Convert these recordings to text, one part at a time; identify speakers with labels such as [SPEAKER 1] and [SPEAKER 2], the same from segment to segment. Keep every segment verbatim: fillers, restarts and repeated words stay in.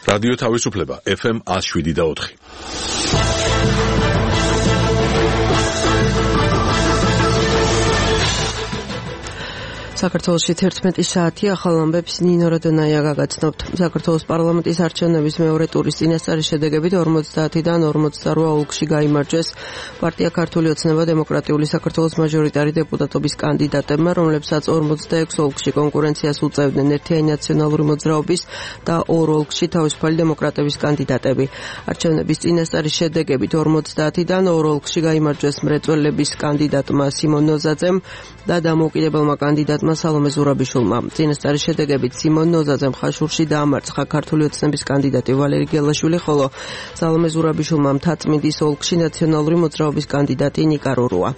[SPEAKER 1] რადიო თავისუფლება ეფ ემ one oh seven და four.
[SPEAKER 2] საქართველოში თერთმეტი საათი ახალ ამბებს ნინო რადონაია გაგაცნობთ. საქართველოს პარლამენტის არჩევნების მეორე ტურის წინასწარი შედეგებით ორმოცდაათიდან ორმოცდაორ ოლქში გაიმარჯვეს პარტია ქართული ოცნება დემოკრატიული საქართველოს მაჟორიტარი დეპუტატობის კანდიდატებმა, რომლებსაც ორმოცდაექვსი ოლქში კონკურენციას უწევდნენ ერთიანი ნაციონალური მოძრაობის და ორ ოლქში თავისუფალი დემოკრატების კანდიდატები. არჩევნების წინასწარი შედეგებით ორმოცდაათიდან ორ ოლქში გაიმარჯვეს მრეწველების კანდიდატმა სიმონ ნოზაძემ და დამოუკიდებელმა კანდიდატმა სალომე ზურაბიშვილმა. წინასწარი შედეგებით სიმონ ნოზაძემ ხაშურში დაამარცხა ქართული ოცნების კანდიდატი ვალერი გელაშვილი, ხოლო სალომე ზურაბიშვილმა მთაწმინდის ოლქში ნაციონალური მოძრაობის კანდიდატი ნიკა რურუა.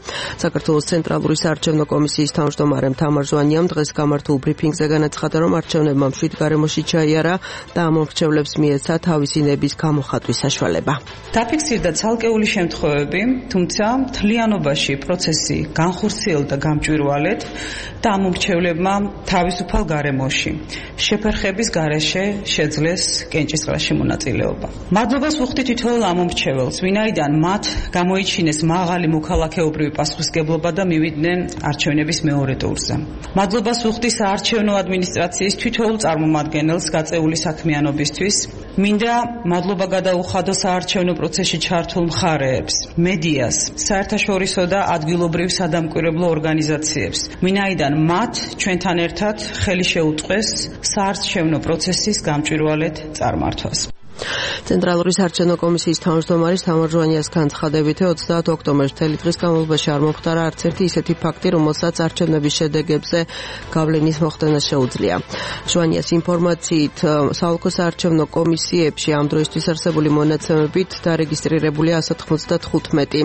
[SPEAKER 2] საქართველოს ცენტრალური საარჩევნო კომისიის თავმჯდომარე თამარ ჟვანიამ დღეს გამართულ ბრიფინგზე განაცხადა, რომ არჩევნებმა მშვიდ გარემოში ჩაიარა და ამომრჩევლებს მიეცა თავისი ნების გამოხატვის საშუალება.
[SPEAKER 3] დაფიქსირდა ცალკეული შემთხვევები, თუმცა მთლიანობაში პროცესი განხორციელდა გამჭვირვალედ და ამომრჩევლებმა თავისუფალ გარემოში შეფერხების გარეშე შეძლეს კენჭისყრაში მონაწილეობა. მადლობას ვუხდით თითოეულ ამომრჩეველს, ვინაიდან მათ გამოიჩინეს მაღალი მოქალაქეობრივი პასუხისმგებლობა და მივიდნენ არჩევნების მეორე ტურზე. მადლობას ვუხდით საარჩევნო ადმინისტრაციის თითოეულ წარმომადგენელს გაწეული საქმიანობისთვის. მინდა მადლობა გადაუხადო საარჩევნო პროცესში ჩართულ მხარეებს, მედიას, საერთაშორისო და ადგილობრივ სადამკვირვებლო ორგანიზაციებს, ვინაიდან მათ ჩვენთან ერთად ხელი შეუწყეს საარჩევნო პროცესის გამჭვირვალედ წარმართვას.
[SPEAKER 2] ცენტრალური საარჩევნო კომისიის თავმჯდომარის თამარ ჟვანიას განცხადებით ოცდაათ ოქტომბერს მთელი დღის განმავლობაში არ მომხდარა არც ერთი ისეთი ფაქტი, რომელსაც არჩევნების შედეგებზე გავლენის მოხდენა შეუძლია. ჟვანიას ინფორმაციით საოლქო საარჩევნო კომისიებში ამ დროისთვის არსებული მონაცემებით დარეგისტრირებულია one ათოთხმოცდათხუთმეტი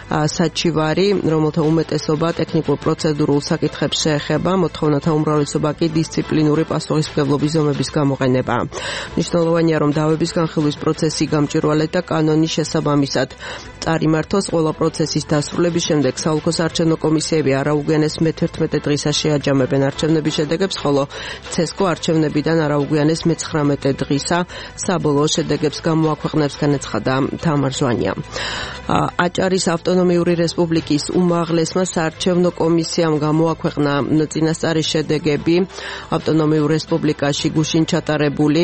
[SPEAKER 2] საჩივარი, რომელთა უმეტესობა ტექნიკურ პროცედურულ საკითხებს შეეხება, მოთხოვნათა უმრავლესობა კი დისციპლინური პასუხისმგებლობის ზომების გამოყენებაა. მნიშვნელოვანია, რომ დავების განხილვის პროცესი გამჭვირვალედ და კანონის შესაბამისად წარიმართოს. ყველა პროცესის დასრულების შემდეგ საოლქო საარჩევნო კომისიები არაუგვიანეს მეთერთმეტე დღისა შეაჯამებენ არჩევნების შედეგებს, ხოლო ცესკო არჩევნებიდან არაუგვიანეს მეცხრამეტე დღისა საბოლოო შედეგებს გამოაქვეყნებს, განაცხადა თამარ ჟვანია. აჭარის ავტონომიური რესპუბლიკის უმაღლესმა საარჩევნო კომისიამ გამოაქვეყნა წინასწარი შედეგები ავტონომიურ რესპუბლიკაში გუშინ ჩატარებული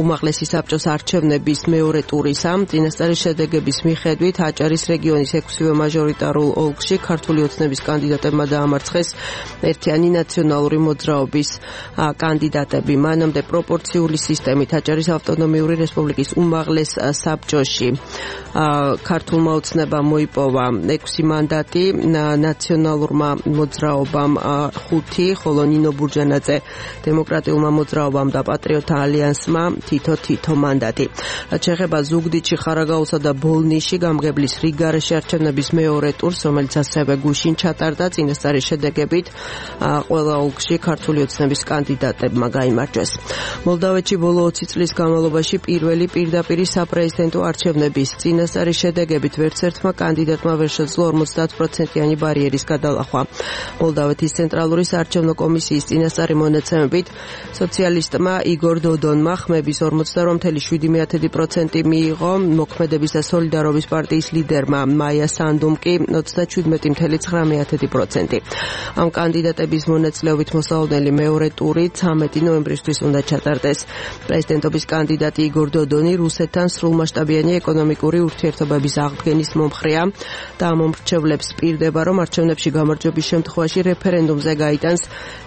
[SPEAKER 2] უმაღლესი საბჭოს არჩევნების მეორე ტურისა. წინასწარი შედეგების მიხედვით აჭარის რეგიონის ექვსივე მაჟორიტარულ ოლქში ქართული ოცნების კანდიდატებმა დაამარცხეს ერთიანი ნაციონალური მოძრაობის კანდიდატები. მანამდე პროპორციული სისტემით აჭარის ავტონომიური რესპუბლიკის უმაღლეს საბჭოში ქართულმა ოცნებამ მოიპოვა ექვსი მანდატი, ნაციონალურმა მოძრაობამ ხუთი, ხოლო ნინო ბურჯანაძე დემოკრატიულმა მოძრაობამ და პატრიოტთა ალიანსმა თითო თითო მანდატი. რაც შეეხება ზუგდიდში, ხარაგაულსა და ბოლნისში გამგებლის რიგგარეშე არჩევნების მეორე ტურს, რომელიც ასევე გუშინ ჩატარდა, წინასწარი შედეგებით ყველა ოლქში ქართული ოცნების კანდიდატებმა გაიმარჯვეს. მოლდავეთში ბოლო ოცი წლის განმავლობაში პირველი პირდაპირი საპრეზიდენტო არჩევნების წინასწარი შედეგებით ვერც ერთმა კანდიდატმა ვერ შეძლო ორმოცდაათ პროცენტიანი ბარიერის გადალახვა. მოლდავეთის ცენტრალური საარჩევნო კომისიის წინასწარი მონაცემებით სოციალისტმა იგორ დოდონმა ხმების ორმოცდაორ virgulă შვიდ პროცენტი მიიღო, მოქმედების და სოლიდარობის პარტიის ლიდერმა მაია სანდუმ კი ოცდაშვიდ virgulă ცხრამეტი პროცენტი. ამ კანდიდატების მონაწილეობით მოსალოდნელი მეორე ტური ცამეტი ნოემბრისთვის უნდა ჩატარდეს. პრეზიდენტობის კანდიდატი იგორ დოდონი რუსეთთან სრულმასშტაბიანი ეკონომიკური ურთიერთობების აღდგენის მომხრეა და ამომრჩევლებს პირდება, რომ არჩევნებში გამარჯვების შემთხვევაში რეფერენდუმზე გაიტანს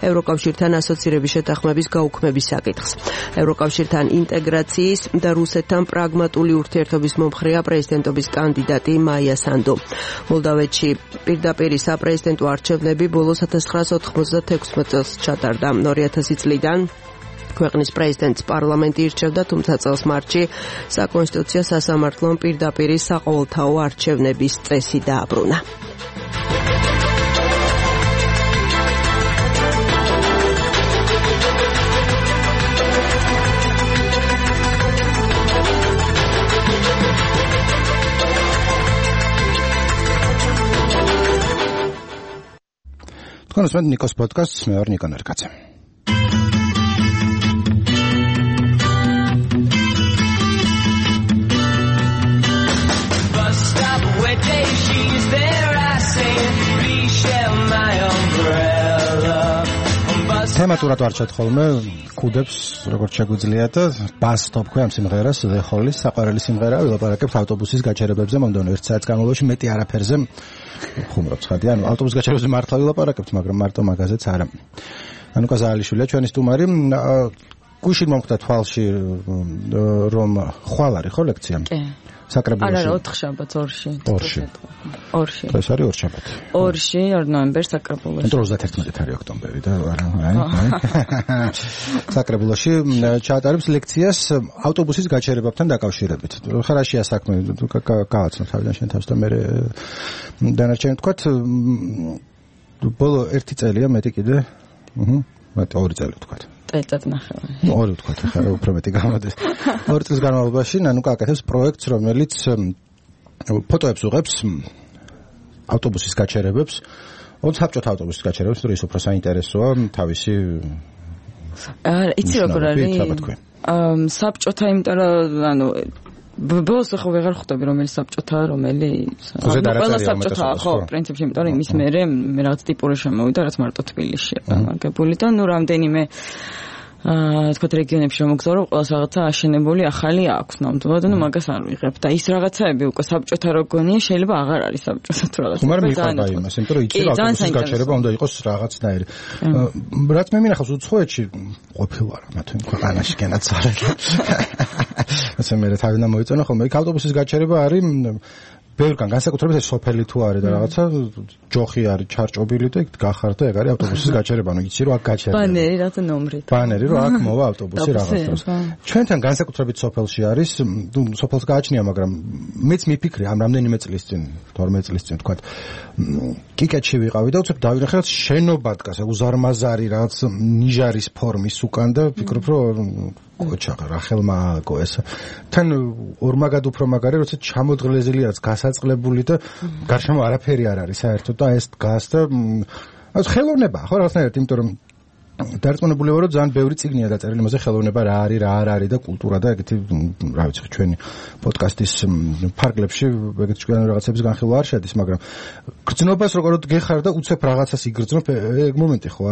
[SPEAKER 2] ევროკავშირთან ასოცირების შეთანხმების გაუქმების საკითხს. ევროკავშირთან ინტეგრაციის და რუსეთთან პრაგმატული ურთიერთობის მომხრეა პრეზიდენტობის კანდიდატი მაია სანდუ. მოლდავეთში პირდაპირი საპრეზიდენტო არჩევნები ბოლოს one thousand nine hundred ოთხმოცდათექვსმეტ წელს ჩატარდა. ორი ათასი წლიდან ქვეყნის პრეზიდენტს პარლამენტი ირჩევდა, თუმცა წელს მარტში საკონსტიტუციო სასამართლომ პირდაპირი საყოველთაო არჩევნების წესი დააბრუნა.
[SPEAKER 4] Konusmet Nikos Podcast, me or Nikon Erkace. თემატურად ვარჩევთ ხოლმე კუდებს როგორც შეგვიძლია და ბას თოფქვი ამ სიმღერას The Hall-ის საყვარელი სიმღერაა ვილაპარაკებთ ავტობუსის გაჩერებებზე მომდევნო ერთ საათის განმავლობაში მეტი არაფერზე ხუმრობ ცხადი ანუ ავტობუსის გაჩერებებზე მართლა ვილაპარაკებთ მაგრამ მარტო მაგაზეც არა ანუკა ზაალიშვილია ჩვენი სტუმარი გუშინ მომხდა თვალში რომ ხვალ არის ხო ლექცია კი საკრებულოში
[SPEAKER 5] არა ოთხ შაბათს ორში
[SPEAKER 4] ორში
[SPEAKER 5] ორში
[SPEAKER 4] ეს არის ორ შაბათი
[SPEAKER 5] ორში ორ ნოემბერს საკრებულოში
[SPEAKER 4] ტროცდაათერთმეტი არის ოქტომბერი და არა აი საკრებულოში ჩაატარებს ლექციას ავტობუსის გაჩერებებთან დაკავშირებით ხარაშია საქმე გავაცნობ თავიდან შენ თავს და მე დანარჩენი თქვათ ბოლო ერთი წელია მეტი კიდე აჰა მეტი ორი წელი თქვათ
[SPEAKER 5] წელიწად ნახევარი.
[SPEAKER 4] ორი ვთქვათ, ახლა უფრო მეტი გამოდის. ორი წლის განმავლობაში ნანუკა აკეთებს პროექტს, რომელიც ფოტოებს უღებს ავტობუსის გაჩერებებს, ოც საბჭოთა ავტობუსის გაჩერებებს, თუ ის უფრო საინტერესოა თავისი
[SPEAKER 5] აა იცი როგორ არის? აა საბჭოთა იმიტომ რომ ანუ ბოლოს ხო ვეღარ ხვდები რომელი საბჭოთა რომელი ყველა საბჭოთა ხო პრინციპში იმიტომ რომ იმის მერე მე რაღაც ტიპური შემოვიდა რაც მარტო თბილისშია გამაგებული და ნუ რამდენიმე აა თქვა რეგიონებში რომ მოგზაურო ყველას რაღაცა აშენებული ახალი აქვს ნამდვილად და ნუ მაგას არ ვიღებ და ის რაღაცაები უკვე საბჭოთა როგონია შეიძლება აღარ არის საბჭოთა თუ რაღაცა
[SPEAKER 4] მაგრამ მიყვება იმას იმიტომ რომ იცი რომ ავტობუსის გაჩერება უნდა იყოს რაღაცნაირი რაც მე მინახავს უცხოეთში ყოფილი ვარ მათი ქვეყანაში განაცვალე ასე მე თავიდან მოიწონა ხოლმე იქ ავტობუსის გაჩერება არის ბევრგან განსაკუთრებით ეს სოფელი თუ არის და რაღაცა ჯოხი არის ჩარჭობილი და იქ გახარ და ეგ არის ავტობუსის გაჩერება ანუ იცი რომ აქ გაჩერება
[SPEAKER 5] ბანერი რაღაცა ნომრით
[SPEAKER 4] ბანერი რომ აქ მოვა ავტობუსი რაღაც დროს ჩვენთან განსაკუთრებით სოფელში არის სოფელს გააჩნია მაგრამ მეც მიფიქრე ამ რამდენიმე წლის წინ თორმეტ წლის წინ თქვა კიკეთში ვიყავი და უცებ დავინახე რაც შენობა დგას უზარმაზარი რაღაც ნიჟარის ფორმის უკან და ვფიქრობ რომ კოჩა რახელმა ააკო ეს თან ორმაგად უფრო მაგარი როცა ჩამოძღლეზილიაც გასაწყლებული და გარშემო არაფერი არ არის საერთოდ და ეს დგას და ეს ხელოვნება ხო რაღაცნაირად იმიტომ რომ დარწმუნებული ვარ რომ ძალიან ბევრი წიგნია დაწერილი იმაზე ხელოვნება რა არის რა არ არის და კულტურა და ეგეთი რა ვიცი ჩვენი პოდკასტის ფარგლებში ეგეთი ჩვენ რაღაცების განხილვა არ შედის მაგრამ გრძნობას როგორ გეხარ და უცებ რაღაცას იგრძნობ ეგ მომენტი ხო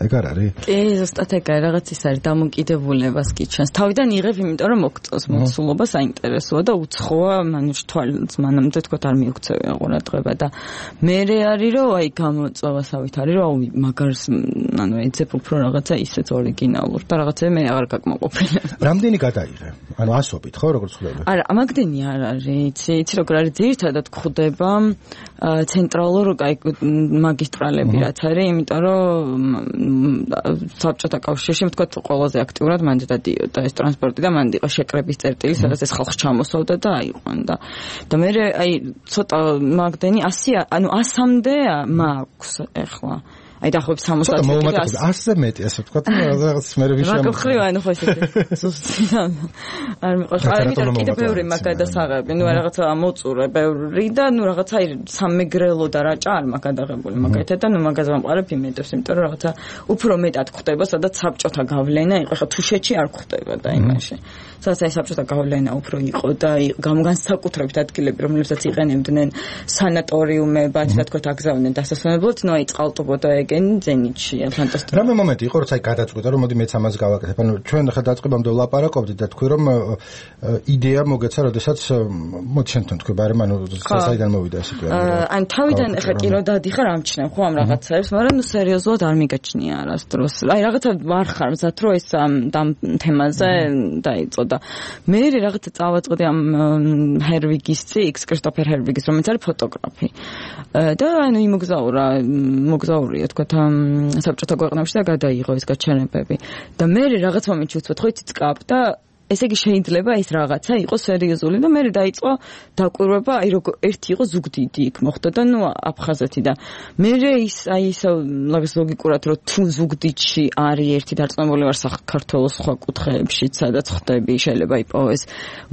[SPEAKER 4] ეგ არ არის
[SPEAKER 5] კი ზუსტად ეგ არის რაღაც ის არის დამოკიდებულებას კი ჩანს თავიდან იღებ იმიტომ რომ მოგწონს მოცულობა საინტერესოა და უცხოა მანუში თვალს მანამდე თქო არ მიუქცევი ყურადღება და მე არის რომ აი გამოწვევასავით არის რომ მაგარს ანუ ეცებ უფრო რაღაცა ისეთ ორიგინალურ და რაღაცა მე აღარ გაკმაყოფილებ.
[SPEAKER 4] რამდენი გადაიღე? ანუ ასობით ხო როგორც ხვდები?
[SPEAKER 5] არა, ამაგდენი არ არის, იცი, იცი როგორ არის ძირითადად გვხვდება ცენტრალურ მაგისტრალები რაც არის, იმიტომ რომ საბჭოთა კავშირში ვთქვათ ყველაზე აქტიურად მანდ დადიოდა ეს ტრანსპორტი და მანდ იყო შეკრების წერტილი, სადაც ეს ხალხს ჩამოსავდა და აიყვანდა. და მე აი ცოტა მაგდენი ასი ანუ ასამდე მაქვს ეხლა. აი დაახლოებით სამოცდაათი
[SPEAKER 4] მომატებული ასზე მეტი ასე ვთქვათ რაღაც მე ვიშამ
[SPEAKER 5] მაგხრივ ანუ ხო ესეთი ზუსტი არ მიყვარს არ იმიტომ კიდე ბევრი მაგ გადასაღები ნუ რაღაცა მოწურე ბევრი და ნუ რაღაცა აი სამეგრელო და რაჭა არ მაგ გადაღებული მაგეთად და ნუ მაგაზე ვამყარებ იმედებს იმიტომ რომ რაღაცა უფრო მეტად ხდება სადაც საბჭოთა გავლენა იყო ხა თუშეთში არ ხდება და იმაში სადაც აი საბჭოთა გავლენა უფრო იყო და განსაკუთრებით ადგილები რომლებსაც იყენებდნენ სანატორიუმებად და თქვა აგზავნდნენ დასასვენებლად ნუ აი წყალტუბო და გენ ზენიტშია ფანტასტიკური.
[SPEAKER 4] რა მომენტი იყო როცა გადაწყვიტა რომ მოდი მეც ამას გავაკეთებ. ანუ ჩვენ ხა დაწყებამდე ვლაპარაკობდით და თქვი რომ იდეა მოგეცა, როდესაც მოდი შენ თან თქვი, მაგრამ ანუ საიდან მოვიდა ეს სიტუაცია.
[SPEAKER 5] ან თავიდან ხა კი რომ დადიხარ ამჩნევ ხო ამ რაღაცებს, მაგრამ ნუ სერიოზულად არ მიგაჩნია არასდროს. აი რაღაცა ვარ ხარ მზად რომ ეს ამ თემაზე დაიწყო და მე რაღაცა წავაწყდი ამ ჰერვიგის ციკლს, კრისტოფერ ჰერვიგის, რომელიც არის ფოტოგრაფი. და ანუ იმოგზაურა, მოგზაურია თქვა საბჭოთა ქვეყნებში და გადაიღო ეს გაჩერებები. და მე რაღაც მომენტში ვთქვათ, ხო იცი წკაპ და ესე იგი შეიძლება ეს რაღაცა იყოს სერიოზული და მე დაიწყო დაკვირვება, აი როგორ ერთი იყო ზუგდიდი იქ მოხდა და ნუ აფხაზეთი და მე ის აი ის ლოგიკურად რომ თუ ზუგდიდში არის ერთი დარწმუნებული ვარ საქართველოს სხვა კუთხეებში, სადაც ხდები შეიძლება იპოვეს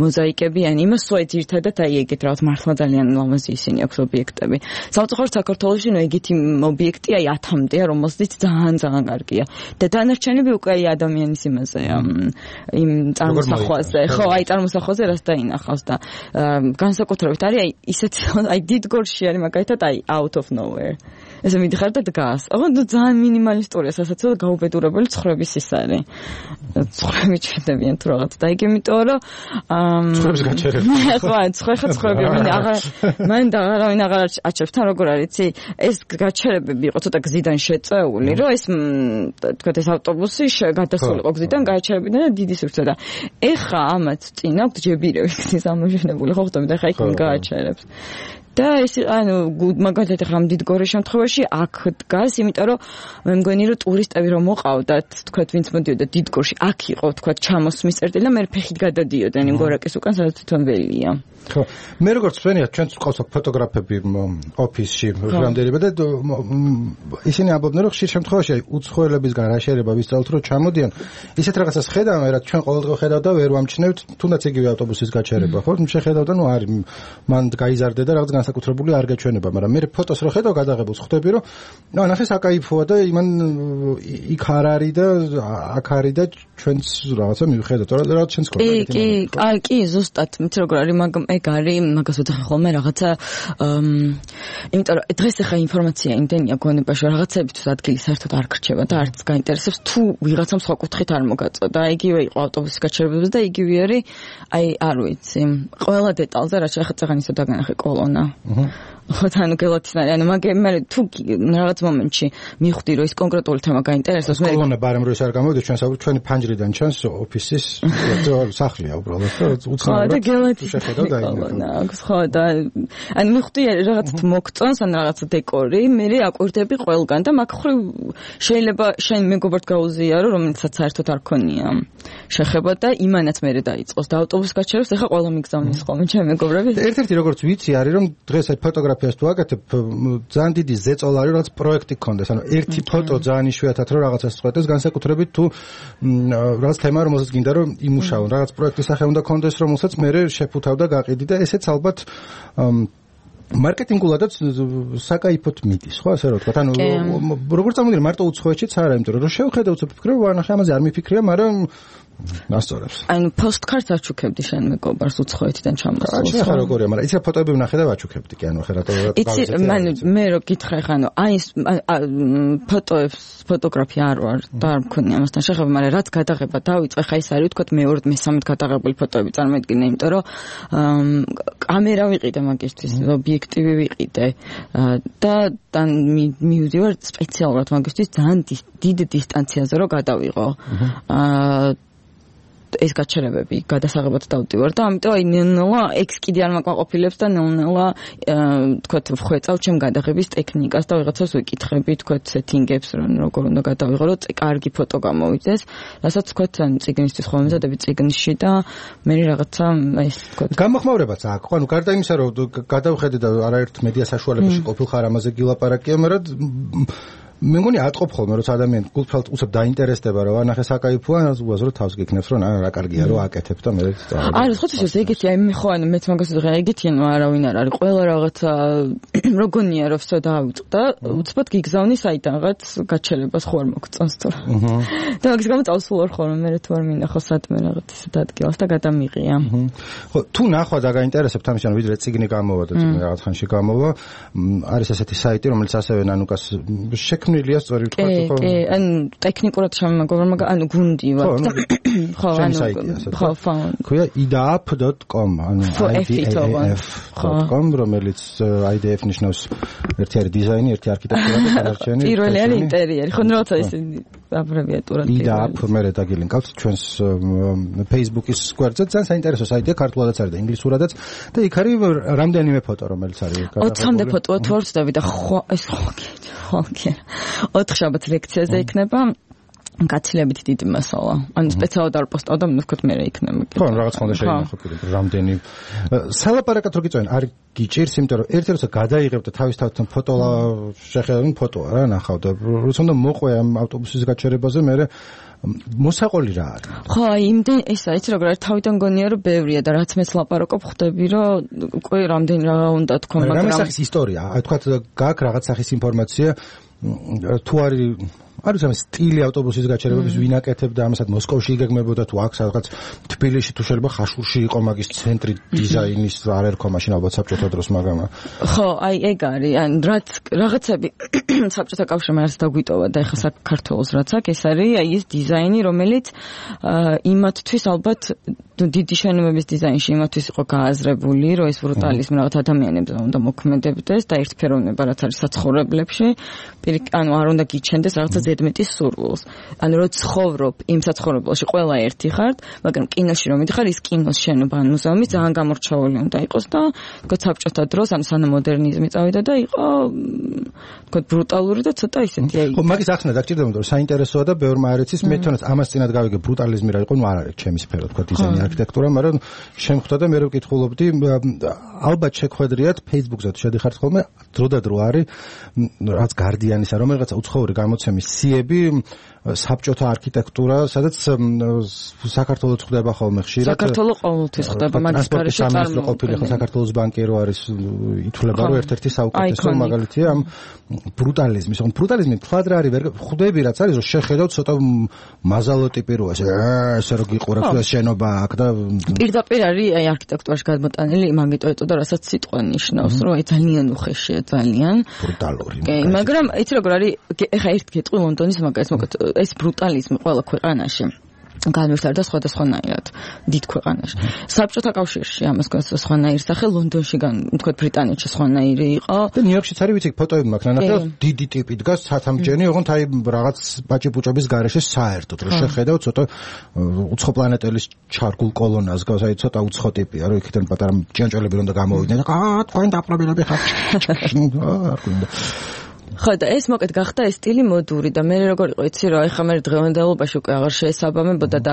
[SPEAKER 5] მოზაიკები, ან იმას სულ ერთადად აი ეგეთ რაღაც მართლა ძალიან ლამაზი ისინი აქვს ობიექტები. სამწუხაროდ საქართველოში ნუ ეგეთი ობიექტი აი ათამდეა, რომელსაც ძალიან ძალიან კარგია. და დანარჩენები უკვე აი ადამიანის იმაზეა, იმ წარმოსახვაზე, ხო, აი წარმოსახვაზე რას დაინახავს და განსაკუთრებით არის აი ისეთ აი დიდგორში არის მაგალითად აი out of nowhere. ესე მიდიხარ და დგას. ოღონდ ძალიან მინიმალისტურია სასაცილო გაუბედურებული ცხრების ის არის. ცხრები ჩერდებიან თუ რაღაც და იგი იმიტომ რომ
[SPEAKER 4] ცხრების გაჩერება.
[SPEAKER 5] ხო, ცხრეხა ცხრები მინ აღარ მან და აღარავინ აღარ აჩერებს თან როგორ არის იცი ეს გაჩერებები იყო ცოტა გზიდან შეწეული რომ ეს თქვა ეს ავტობუსი გადასულიყო გზიდან გააჩერებინა და დიდი სურდა და ეხა ამათ წინ აქვს ჯებირები გზის ამოშენებული ხო ხტომი და ეხა იქ გააჩერებს და ეს ანუ მაგალითად ახლა მდიდგორის შემთხვევაში აქ დგას, იმიტომ რომ მე მგონი რომ ტურისტები რომ მოყავდათ, თქვათ ვინც მოდიოდა დიდგორში, აქ იყო თქვათ ჩამოსმის წერტილი და მე ფეხით გადადიოდნენ იმ გორაკის უკან, სადაც თვითონ ველია.
[SPEAKER 4] ხო, მე როგორც ვენია, ჩვენც ყავს ფოტოგრაფები ოფისში რამდენიმე და ისინი ამბობდნენ რომ ხშირ შემთხვევაში უცხოელებისგან რა შეიძლება ვისწავლოთ რომ ჩამოდიან, ისეთ რაღაცას ხედავენ, რაც ჩვენ ყოველდღე ხედავ და ვერ ვამჩნევთ, თუნდაც იგივე ავტობუსის გაჩერება, ხო? შეხედავ და ნუ არის მან გაიზარდე და რაღაც საკუთრებული არ გაჩვენება, მაგრამ მე ფოტოს რო ხედავ გადაღებულს ხვდები რომ ნუ ნახე საკაიფოა და იმან იქ არ არის და აქ არის და ჩვენც რაღაცა მივხედოთ რა რა ჩვენს
[SPEAKER 5] კორა კი კი კი კი ზუსტად მით როგორ არის მაგ ეგ არის მაგას ვეთახე ხოლმე რაღაცა იმიტომ რომ დღეს ახლა ინფორმაცია იმდენია გონებაში რაღაცებისთვის ადგილი საერთოდ არ გრჩება და არც გაინტერესებს თუ ვიღაცამ სხვა კუთხით არ მოგაწოდა იგივე იყო ავტობუსის გაჩერებებზე და იგივე არის აი არ ვიცი ყველა დეტალზე რაც ახლა წაღან ისო დაგანახე კოლონა ხო თან გელათინარი ანუ მაგ მე თუ რაღაც მომენტში მივხვდი რომ ის კონკრეტული თემა გაინტერესებს
[SPEAKER 4] მე კოლონა ბარემ რო ის არ გამოვიდა ჩვენ ჩვენი ფანჯრიდან ჩანს ოფისის სახლია უბრალოდ
[SPEAKER 5] უცხოა და გელათინარი კოლონა ხო და ანუ მივხვდი რაღაც მოგწონს ან რაღაც დეკორი მე აკვირდები ყველგან და მაგ ხრი შეიძლება შენ მეგობართ გაუზიარო რომელსაც საერთოდ არ ქონია შეხება და იმანაც მე დაიწყოს და ავტობუსს გაჩერებს ეხა ყველა მიგზავნის ხოლმე ჩემი მეგობრები
[SPEAKER 4] ერთ-ერთი როგორც ვიცი არის რომ დღეს აი ფოტოგრაფიას თუ აკეთებ ძალიან დიდი ზეწოლა არის რაღაც პროექტი გქონდეს ანუ ერთი ფოტო ძალიან იშვიათად რომ რაღაცას წყვეტეს განსაკუთრებით თუ რაღაც თემა რომელსაც გინდა რომ იმუშაო რაღაც პროექტის სახე უნდა გქონდეს რომელსაც მე შეფუთავ და გაყიდი და ესეც ალბათ მარკეტინგულადაც საკაიფოთ მიდის ხო ასე რომ ვთქვა ანუ როგორ წამოვიდნენ მარტო უცხოეთშიც არა იმიტომ რომ შევხედე უცებ ფიქრობ ვანახე ამაზე არ მიფიქრია მაგრამ ასწორებს
[SPEAKER 5] ანუ პოსტკარტს აჩუქებდი შენ მეგობარს უცხოეთიდან ჩამოსულს
[SPEAKER 4] ხო ახლა როგორია მაგრამ იცი ფოტოები ვნახე და ვაჩუქებდი კი ანუ ახლა რატო
[SPEAKER 5] იცი მან მე რო გითხრა ხა ანუ აი ფოტოებს ფოტოგრაფია არ ვარ და არ მქონია ამასთან შეხება მაგრამ რაც გადაღება დავიწყე ხა ის არის ვთქვა მეორე მესამედ გადაღებული ფოტოები წარმოედგინე იმიტომ რომ კამერა ვიყიდე მაგისთვის ობიექტივი ვიყიდე და თან მივდივარ სპეციალურად მაგისთვის ძალიან დიდ დისტანციაზე რომ გადავიღო აა ეს გაჩერებები გადასაღებად დავდივარ და ამიტომ აი ნელა ექს კიდე არ მაკმაყოფილებს და ნელა თქვათ ვხვეწავ ჩემ გადაღების ტექნიკას და ვიღაცას ვიკითხები თქვათ სეტინგებს რომ როგორ უნდა გადავიღო რომ კარგი ფოტო გამოვიდეს რასაც თქვათ წიგნისთვის ხომ მზადები წიგნში და მე რაღაცა ეს თქვათ
[SPEAKER 4] გამოხმაურებაც აქვს ანუ გარდა იმისა რომ გადავხედე და არაერთ მედია საშუალებაში ყოფილხარ ამაზე გილაპარაკია მაგრამ მე მგონი ატყობ ხოლმე რომ ადამიანი გულწრფელად უცებ დაინტერესდება რომ ანახე საკაიფოა უაზრო თავს გიქნებს რომ რა კარგია რომ აკეთებ და მე
[SPEAKER 5] არა ხო თვითონ ეგეთი აი მე ხო ანუ მეც მაგას ვიღე ეგეთი ანუ არავინ არ არის ყველა რაღაცა როგონია რომ ვსო დავიწყდა უცბად გიგზავნის საიდან რაღაც გაჩერებას ხო არ მოგწონს თუ და მაგის გამო წავსულვარ ხოლმე მე თუ არ მინახო სადმე რაღაც ისე დადგილას და გადამიღია
[SPEAKER 4] ხო თუ ნახვა და გაინტერესებთ ამის ანუ ვიდრე წიგნი გამოვა და წიგნი რაღაც ხანში გამოვა არის ესეთი საიტი რომელიც ასევე ნანუკას ნილია სწორი ვთქვა
[SPEAKER 5] ხო? კი, ანუ ტექნიკურად შემოგობრა, მაგრამ ანუ გუნდი ვარ. ხო, ანუ ხო, ხო.
[SPEAKER 4] ქვია i d a f dot com, ანუ i d a f dot com, რომელიც i d f ნიშნავს ერთი არის დიზაინი, ერთი არქიტექტურა და დანარჩენი.
[SPEAKER 5] პირველი არის ინტერიერი, ხო, რაცა ის აბრევიატურად
[SPEAKER 4] i d a f მე დაგილინკავთ ჩვენს Facebook-ის გვერდზე, ძალიან საინტერესო საიტია, ქართულადაც არის და ინგლისურადაც და იქ არის რამდენიმე ფოტო, რომელიც არის
[SPEAKER 5] გადაღებული. ოცამდე ფოტოა თუ არ ვწდები და ხო, ეს ხო, ხო, კი. ოთხ შაბათ ლექციაზე იქნება გაცილებით დიდი მასალა. ანუ სპეციალურად არ პოსტავ და მოვქოთ მე რა იქნება.
[SPEAKER 4] ხო, რაღაც ხონდა შეიძლება კიდე რამდენი სალაპარაკად რო გიწევენ, არ გიჭირს, იმიტომ რომ ერთ-ერთ როცა გადაიღებ და თავისთავად ფოტო შეხედავენ ფოტოა რა ნახავ და როცა უნდა მოყვე ამ ავტობუსის გაჩერებაზე მე მოსაყოლი რა არის.
[SPEAKER 5] ხო, აი იმდენ ესა იცი როგორ არის თავიდან გონია რომ ბევრია და რაც მეც ლაპარაკობ ხვდები რომ უკვე რამდენი რა უნდა თქო
[SPEAKER 4] მაგრამ რა სახის ისტორია? აი თქვა გაქვს რაღაც სახის ინფორმაცია თუ არის არის ამ სტილი ავტობუსის გაჩერებების ვინაკეთებდა ამასაც მოსკოვში იგეგმებოდა თუ აქ სადღაც თბილისში თუ შეიძლება ხაშურში იყო მაგის ცენტრი დიზაინის არ ერქვა მაშინ ალბათ საბჭოთა დროს მაგრამ
[SPEAKER 5] ხო აი ეგ არის ან რაც რაღაცები საბჭოთა კავშირმა რაც დაგვიტოვა და ეხლა საქართველოს რაც აქ ეს არის აი ეს დიზაინი რომელიც იმათთვის ალბათ დიდი შენობების დიზაინში იმათთვის იყო გააზრებული რომ ეს ბრუტალიზმი რაღაც ადამიანებზე უნდა მოქმედებდეს და ერთფეროვნება რაც არის საცხოვრებლებში ანუ არ უნდა გიჩენდეს რაღაცა ზედმეტის სურვილს ანუ რომ ცხოვრობ იმ საცხოვრებელში ყველა ერთი ხართ მაგრამ კინოში რომ მიდიხარ ის კინოს შენობა ან მუზეუმი ძალიან გამორჩეული უნდა იყოს და თქო საბჭოთა დროს ან სანამოდერნიზმი წავიდა და იყო თქო ბრუტალური და ცოტა ისეთი აი
[SPEAKER 4] ხო მაგის ახსნა დაგჭირდება რომ საინტერესოა და ბევრმა არ იცის მე თვითონაც ამას წინათ გავიგე ბრუტალიზმი რა იყო ნუ არ არის ჩემი სფერო თქო დიზაინი არქიტექტურა მაგრამ შემხვდა და მე რო ვკითხულობდი ალბათ შეხვედრიათ Facebook-ზე თუ შედიხართ ხოლმე დროდადრო არის რაც გარდიანისა რომ რაღაცა უცხოური გამოცემის სიები საბჭოთა არქიტექტურა სადაც საქართველოს ხდება ხოლმე ხშირად
[SPEAKER 5] საქართველოს ყოველთვის ხდება მაგის გარეშე
[SPEAKER 4] წარმოქმნა ყოფილი ხო საქართველოს ბანკი რო არის ითვლება რომ ერთ-ერთი საუკეთესო მაგალითია ამ ბრუტალიზმის ხო ბრუტალიზმი თქვად რა არის ვერ ხვდები რაც არის რომ შეხედავ ცოტა მაზალო ტიპი რო ესე რო გიყურებს ეს შენობა აქ და
[SPEAKER 5] პირდაპირ არის აი არქიტექტურაში გადმოტანილი მაგიტო ეწოდა რასაც სიტყვა ნიშნავს რომ აი ძალიან უხეშია ძალიან
[SPEAKER 4] ბრუტალური
[SPEAKER 5] კი მაგრამ იცი როგორ არის ეხა ერთ გეტყვი ლონდონის მაგას მოკეთ ეს ბრუტალიზმი ყველა ქვეყანაში განვითარდა სხვადასხვანაირად დიდ ქვეყანაში. საბჭოთა კავშირში ამას გვაქვს სხვანაირი სახე, ლონდონში თქვა ბრიტანეთში სხვანაირი იყო.
[SPEAKER 4] და ნიუ-იორკშიც არის ვიცი ფოტოები მაქვს ნანახე დიდი ტიპი დგას სათამჯენი, ოღონდ აი რაღაც ბაჭი-ბუჭების გარეშე საერთოდ რომ შეხედავ ცოტა უცხო პლანეტელის ჩარგულ კოლონას გავს, აი ცოტა უცხო ტიპია, რომ იქიდან პატარა ჭიანჭველები რომ და გამოვიდნენ. აა თქვენ დაპრობილები ხართ.
[SPEAKER 5] ხო და ეს მოკეთ გახდა ეს სტილი მოდური და მე როგორ იყო იცი რომ ეხლა მე დღევანდელობაში უკვე აღარ შეესაბამებოდა და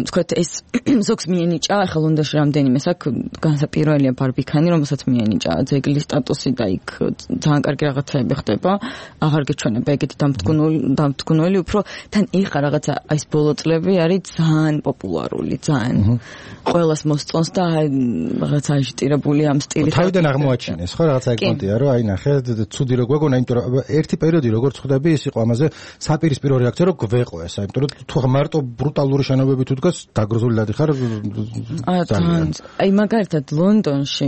[SPEAKER 5] თქვათ ეს ზოგს მიენიჭა ეხლა ლონდონში რამდენიმე საქმე განსაპირველია ბარბიქანი რომელსაც მიენიჭა ძეგლის სტატუსი და იქ ძალიან კარგი რაღაცები ხდება აღარ გეჩვენება ეგეთი დამტკუნული დამტკუნული უფრო თან ეხლა რაღაცა ეს ბოლო წლები არის ძალიან პოპულარული ძალიან ყველას მოსწონს და რაღაცა აჟიტირებული ამ სტილით
[SPEAKER 4] თავიდან აღმოაჩინეს ხო რაღაცა ეკონტია რომ აი ნახე ცუდი რო გვეგონა იმიტომ ერთი პერიოდი როგორც ხვდები ის იყო ამაზე საპირისპირო რეაქცია რომ გვეყო ესა იმიტომ რომ თუ მარტო ბრუტალური შენობები თუ დგას დაგროზული დადიხარ
[SPEAKER 5] აი მაგალითად ლონდონში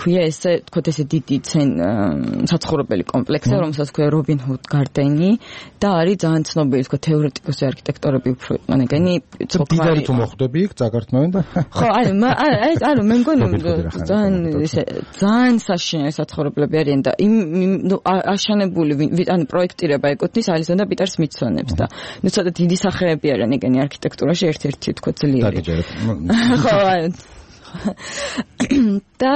[SPEAKER 5] ქვია ესე თქო ესე დიდი ცენ საცხოვრებელი კომპლექსი რომელსაც ქვია რობინ ჰუდ გარდენი და არის ძალიან ცნობილი თქო თეორეტიკოსი არქიტექტორები უფრო იყვნენ ეგენი
[SPEAKER 4] დიდარი თუ მოხვდები იქ წაგართმევენ და
[SPEAKER 5] ხო აი აი ანუ მე მგონი ძალიან ესე ძალიან საშინელი საცხოვრებლები არიან და იმ აშენებული ან პროექტირება ეკუთვნის ალისონ და პიტერ სმითსონებს და ნუ ცოტა დიდი სახეები არიან ეგენი არქიტექტურაში ერთ-ერთი თქო ძლიერი ხო და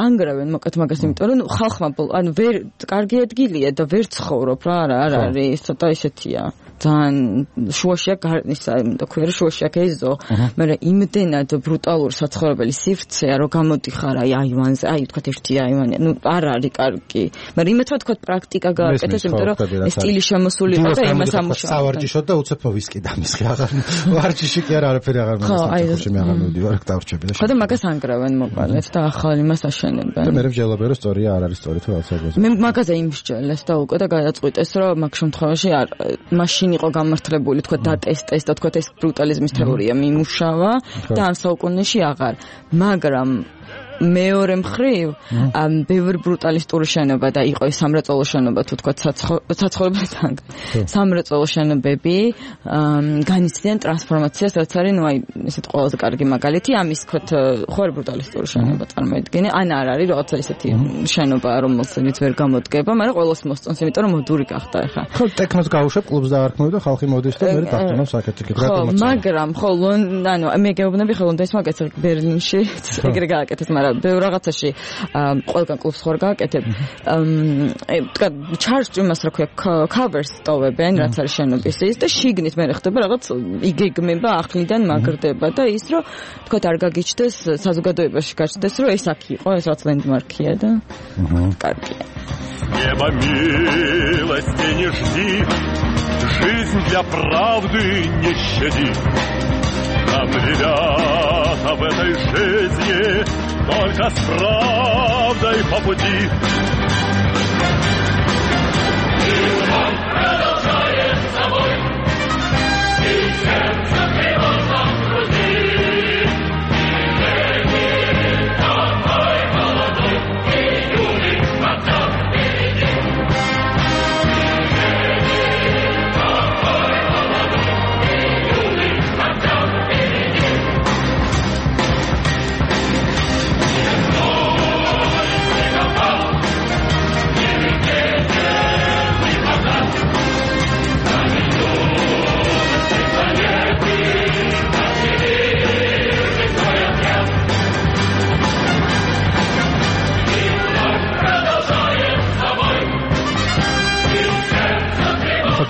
[SPEAKER 5] ანგრევენ მოკეთ მაგას იმიტომ რომ ხალხმა ანუ ვერ კარგი ადგილია და ვერ ცხოვრობ რა არა არ არის ცოტა ისეთია ძალიან შუაშია გარნისა და ქვია რომ შუაშია გეზო მაგრამ იმდენად ბრუტალური საცხოვრებელი სივრცეა რომ გამოდიხარ აი აივანზე აი თქვა ერთი აივანი ნუ არ არის კარგი მაგრამ იმეთო თქვა პრაქტიკა გააკეთეს იმიტომ რომ ეს სტილი შემოსული იყო და იმას ამუშავე
[SPEAKER 4] სავარჯიშოდ და უცებ ვისკი დამისხი აღარ ვარჯიში კი არ არაფერი აღარ მომწონს მე აღარ მივდივარ დავრჩები და
[SPEAKER 5] ხო და მაგას ანგრევენ მოყალეთ და ახალ იმას აშენებენ
[SPEAKER 4] და მე ვჯელობე რომ სწორია არ არის სწორი თუ რაღაცა
[SPEAKER 5] მე მაგაზე იმსჯელეს და უკვე და გადაწყვიტეს რომ მაგ შემთხვევაში არ მაშინ იყო გამართლებული თქვა დატესტეს და თქვა ეს ბრუტალიზმის თეორია მიმუშავა და ამ საუკუნეში აღარ მაგრამ მეორე მხრივ ამ ბევრი ბრუტალისტური შენობა და იყო ეს სამრეწველო შენობა თუ თქვა საცხოვრებელთან სამრეწველო შენობები განიცდიან ტრანსფორმაციას რაც არის ნუ აი ესეთ ყველაზე კარგი მაგალითი ამის თქვა ხო არის ბრუტალისტური შენობა წარმოიდგინე ან არ არის რაღაცა ისეთი შენობა რომელსაც ვერ გამოდგება მაგრამ ყველას მოსწონს იმიტომ რომ მოდური გახდა ახლა
[SPEAKER 4] ხო ტექნოს გაუშვებ კლუბს დაარქმევ და ხალხი მოდის და მე დაგტანო საკეთე
[SPEAKER 5] გრატულაციები ხო მაგრამ ხო ანუ მე გეუბნები ხო ლონდონის მაგალითად ბერლინში ეგრე გააკეთეს მაგრამ ბევრ რაღაცაში ყველგან კლუბს ხარ გააკეთებ თქვა ჩარჯ იმას რა ქვია cover სტოვებენ რაც არის შენობის ის და შიგნით მე ხდება რაღაც იგეგმება ახლიდან მაგრდება და ის რომ თქვა არ გაგიჩნდეს საზოგადოებაში გაჩნდეს რომ ეს აქ იყო ეს რაც ლენდმარკია და კარგია
[SPEAKER 6] Небо милости не жди жизнь для правды не щади Нам, ребята, в этой жизни только с правдой по пути.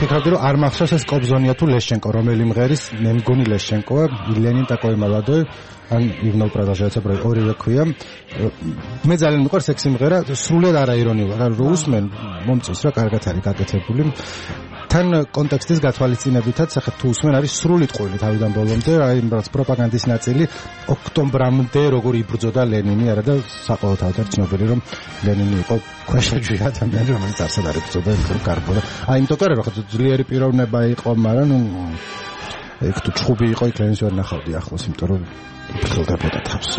[SPEAKER 4] ვფიქრობდი რომ არ მახსოვს ეს კობზონია თუ ლეშჩენკო რომელი მღერის მე მგონი ლეშჩენკოა ილენინ ტაკოი მალადოი ან ივნო პროდაჟაცა პროი ორივე ქვია მე ძალიან მიყვარს ეს სიმღერა სრულად არაირონიულად რა რო უსმენ მომწონს რა კარგად არის გაკეთებული თან კონტექსტის გათვალისწინებითაც ახლა თუ უსმენ არის სრული ტყუილი თავიდან ბოლომდე აი რაც პროპაგანდის ნაწილი ოქტომბრამდე როგორ იბრძოდა ლენინი არა და საყოველთაოდ არის ცნობილი რომ ლენინი იყო ქვეშეჯვი ადამიანი რომელიც არსად არ იბრძოდა ეს კარგო აი იმიტომ რომ ხო ძლიერი პიროვნება იყო მაგრამ ნუ ეგ თუ ჩხუბი იყო იქ ლენინს ვერ ნახავდი ახლოს იმიტომ რომ ფიქრობდა თავს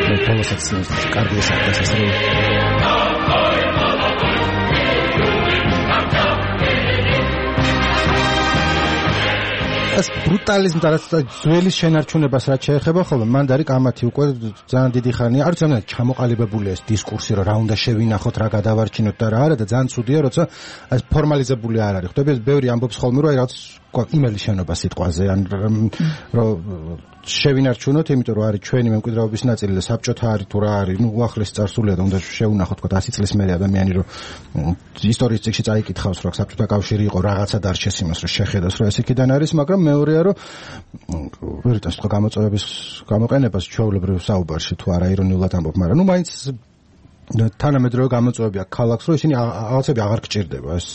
[SPEAKER 4] მე თავს კარგი ეს არის ეს ეს ბრუტალიზმს და ძველი შენარჩუნებას რაც შეეხება ხოლმე მან დარი კამათი უკვე ძალიან დიდი ხანია არ ვიცი რა ჩამოყალიბებულია ეს დისკურსი რომ რა უნდა შევინახოთ რა გადავარჩინოთ და რა არა და ძალიან ცუდია როცა ეს ფორმალიზებული არ არის ხვდები ეს ბევრი ამბობს ხოლმე რომ აი რაც იმელი შენობა სიტყვაზე ან რომ შევინარჩუნოთ იმიტომ რომ არის ჩვენი მემკვიდრეობის ნაწილი და საბჭოთა არის თუ რა არის ნუ უახლეს წარსულია და უნდა შევუნახოთ თქო ასი წლის მერე ადამიანი რომ ისტორიის წიგნში წაიკითხავს რომ საბჭოთა კავშირი იყო რაღაცა დარჩეს იმას რომ შეხედოს რომ ეს იქიდან არის მაგრამ მეორეა რომ ვერიტას თქო გამოწვევების გამოყენებას ჩვეულებრივ საუბარში თუ არა ირონიულად ამბობ მაგრამ ნუ მაინც თანამედროვე გამოწვევები აქვს ქალაქს რომ ისინი რაღაცები აღარ გჭირდება ეს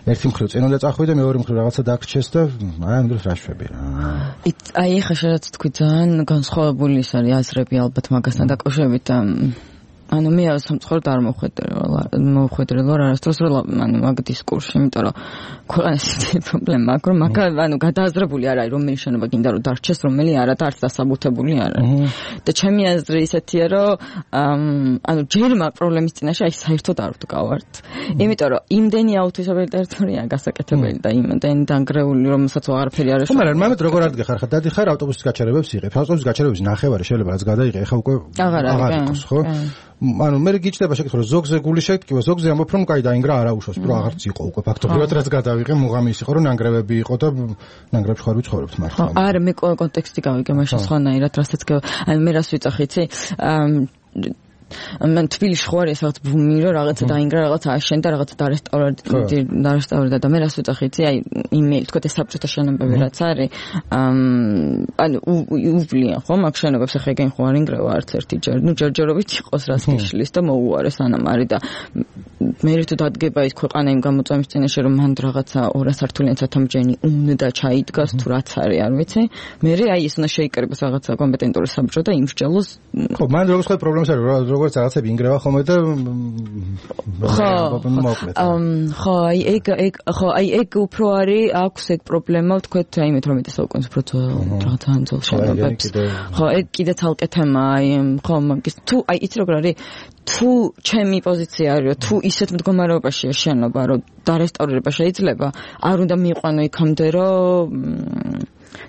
[SPEAKER 4] ერთი მხრივ წინ უნდა წახვიდე მეორე მხრივ რაღაცა დაგრჩეს და აი ამ დროს რა შვები რა
[SPEAKER 5] აი ხა შეიძლება თქვი ძალიან განსხვავებული ის არის აზრები ალბათ მაგასთან დაკავშირებით და ანუ მე სამწუხაროდ არ მოხვედრე მოხვედრე რა არასდროს რა ანუ მაგ დისკურსში იმიტომ რომ ქვეყანას პრობლემა აქვს რომ მაგ ანუ გადააზრებული არ არის რომელი შენობა გინდა რომ დარჩეს რომელი არა და არც დასაბუთებული არა და ჩემი აზრი ისეთია რომ ანუ ჯერ მაგ პრობლემის წინაშე აი საერთოდ არ ვდგავართ იმიტომ რომ იმდენი აუთვისებელი ტერიტორია გასაკეთებელი და იმდენი დანგრეული რომელსაც აღარაფერი არ
[SPEAKER 4] ეშვა მაგრამ მამეთ როგორ არ დგეხარ ხა დადიხარ ავტობუსის გაჩერებებს იღებ ავტობუსის გაჩერებების ნახევარი შეიძლება რაც გადაიღე ხა უკვე აღარ იყოს ხო ანუ მე გიჩნდება შეკითხვა რომ ზოგზე გული შეკითხვა ზოგზე ამბობ რომ კაი დაინგრა არა უშავს პრო აღარც იყო უკვე ფაქტობრივად რაც გადავიღე მუღამის იყო რომ ნანგრევები იყო და ნანგრევში ხარ ვიცხოვრობთ მართლა
[SPEAKER 5] არა მე კონტექსტი გავიგე მაშინ სხვანაირად რასაც ანუ მე რას ვიწახი იცი მან თბილისში ხო არის რაღაც ბუმი რომ რაღაცა დაინგრა რაღაცა აშენდა რაღაცა დარესტავრდა დარესტავრდა და მე რას ვიწახი იცი აი იმეილი თქო ეს საბჭოთა შენობები რაც არის ანუ უვლიან ხო მაგ შენობებს ახლა ეგენ ხო არ ინგრევა არც ერთი ჯერ ნუ ჯერჯერობით იყოს რას გიშლის და მოუარეს ანამარი და მე რითო დადგება ის ქვეყანა იმ გამოწვევის წინაშე რომ მან რაღაცა ორ სართულიან სათამბჯენი უნდა ჩაიდგას თუ რაც არის არ ვიცი მე აი ის უნდა შეიკრიბოს რაღაცა კომპეტენტური საბჭო და იმსჯელოს
[SPEAKER 4] ხო მან როგორც ხო პრობლემას არის როგორც რაღაცები ინგრევა ხოლმე და
[SPEAKER 5] ხო აი ეგ ეგ ხო აი ეგ უფრო არის აქვს ეგ პრობლემა ვთქვეთ აი მე თორმეტე საუკუნის უფრო რაღაცა ანძოლ შენობებს ხო ეგ კიდე თალკე თემა აი ხო მაგის თუ აი იცი როგორ არის თუ ჩემი პოზიცია არის რომ თუ ისეთ მდგომარეობაშია შენობა რომ დარესტავრირება შეიძლება არ უნდა მიიყვანო იქამდე რომ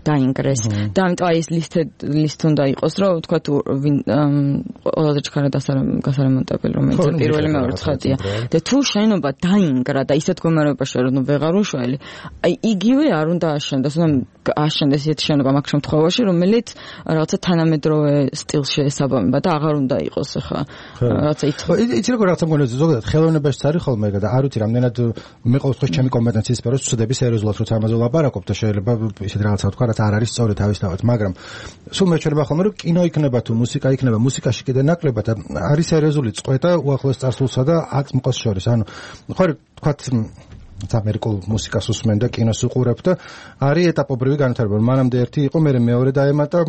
[SPEAKER 5] დაინგრეს და ამიტომ აი ეს ლისტ ლისტ უნდა იყოს რომ თქვა თუ ყველაზე ჩქარა გასარემონტებელი რომელიც პირველი მეორე ცხადია და თუ შენობა დაინგრა და ისეთ მდგომარეობაშია რომ ვეღარ უშველი აი იგივე არ უნდა აშენდეს უნდა აშენდეს ისეთი შენობა მაგ შემთხვევაში რომელიც რაღაცა თანამედროვე სტილში ესაბამება და აღარ უნდა იყოს ახლა რაღაცა
[SPEAKER 4] იცი როგორ რაღაცა მგონია ზოგადად ხელოვნებაშიც არის ხოლმე ეგ და არ ვიცი რამდენად მე ყოველ შემთხვევაში ჩემი კომპეტენციის სფეროს ვწდები სერიოზულად როცა ამაზე ვლაპარაკობ და შეიძლება ისეთი რაღაცა თქვა რაც არ არის სწორი თავისთავად მაგრამ სულ მეჩვენება ხოლმე რომ კინო იქნება თუ მუსიკა იქნება მუსიკაში კიდე ნაკლებად არის სერიოზული წყვეტა უახლოეს წარსულსა და აწმყოს შორის ანუ ხო თქვა ამერიკულ მუსიკას უსმენ და კინოს უყურებ და არის ეტაპობრივი განვითარება. მანამდე ერთი იყო, მე მეორე დაემატა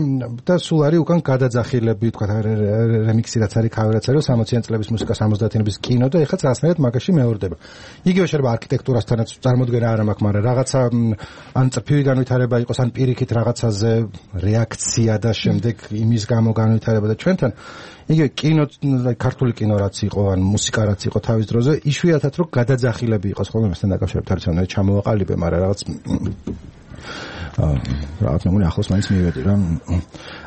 [SPEAKER 4] და სულ არის უკან გადაძახილები, თქვა რემიქსი რაც არის, ქავერ რაც არის, სამოციან წლების მუსიკა, სამოცდაათიანების კინო და ეხლა რაღაცნაირად მაგაში მეორდება. იგივე შეიძლება არქიტექტურასთანაც წარმოდგენა არ მაქვს, მაგრამ რაღაცა ან წრფივი განვითარება იყოს, ან პირიქით რაღაცაზე რეაქცია და შემდეგ იმის გამო განვითარება და ჩვენთან იგივე კინო, ქართული კინო რაც იყო, ან მუსიკა რაც იყო თავის დროზე, იშვიათად რომ გადაძახილები იყოს ხოლმე მასთან დაკავშირებით არცერთ ჩამოვაყალიბე, მაგრამ რაღაც რაღაც მეგონი ახლოს მაინც მივედი რა.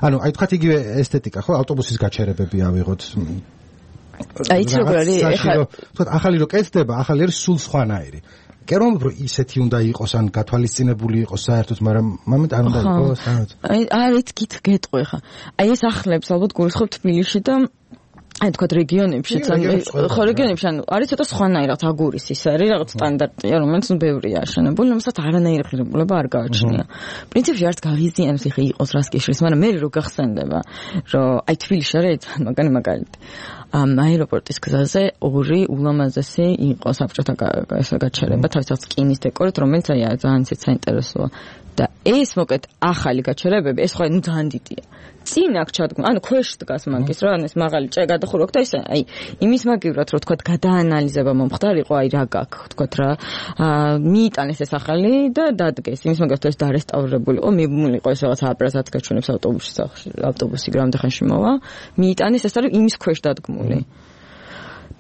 [SPEAKER 4] ანუ აი თქვათ იგივე ესთეტიკა ხო, ავტობუსის გაჩერებები ავიღოთ.
[SPEAKER 5] აი იცი როგორ არის, ეხლა
[SPEAKER 4] თქვათ ახალი რო კეთდება, ახალი არის სულ სხვანაირი. კერომ რომ ისეთი უნდა იყოს ან გათვალისწინებული იყოს საერთოდ, მაგრამ მომენტ არ უნდა იყოს საერთოდ.
[SPEAKER 5] აი არის გით გეტყვი ხა. აი ეს ახლებს ალბათ გულისხმობ თბილისში და აი თქვა რეგიონებშიც ან ხო რეგიონებში ანუ არის ცოტა სხვანაირად აგურის ის არის რაღაც სტანდარტია რომელიც ნუ ბევრია აშენებული რომელსაც არანაირი ღირებულება არ გააჩნია პრინციპში არც გაღიზიანებს იხე იყოს რას კიშრის მაგრამ მე რო გახსენდება რომ აი თბილისში არის მაგარი მაგალითი ამ აეროპორტის გზაზე ორი ულამაზესი იყო საბჭოთა გაჩერება თავისთავად სკინის დეკორით რომელიც აი ძალიან საინტერესოა და ეს მოკეთ ახალი გაჩერებები ეს ხო ნუ ძალიან დიდია წინ აქ ჩადგმ ანუ ქვეშ დგას მაგის რა ეს მაღალი ჭე გადახურვა და ისე აი იმის მაგივრად რომ თქვა გადაანალიზება მომხდარიყო აი რა გაქვს თქვა რა მიიტანეს ეს ახალი და დადგეს იმის მაგივრად ეს დარესტავრებულიყო მიბმულიყო ეს რაღაც აპარატად გაჩვენებს ავტობუსის სახში ავტობუსი გრამდე ხანში მოვა მიიტანეს ეს არის იმის ქვეშ დადგმული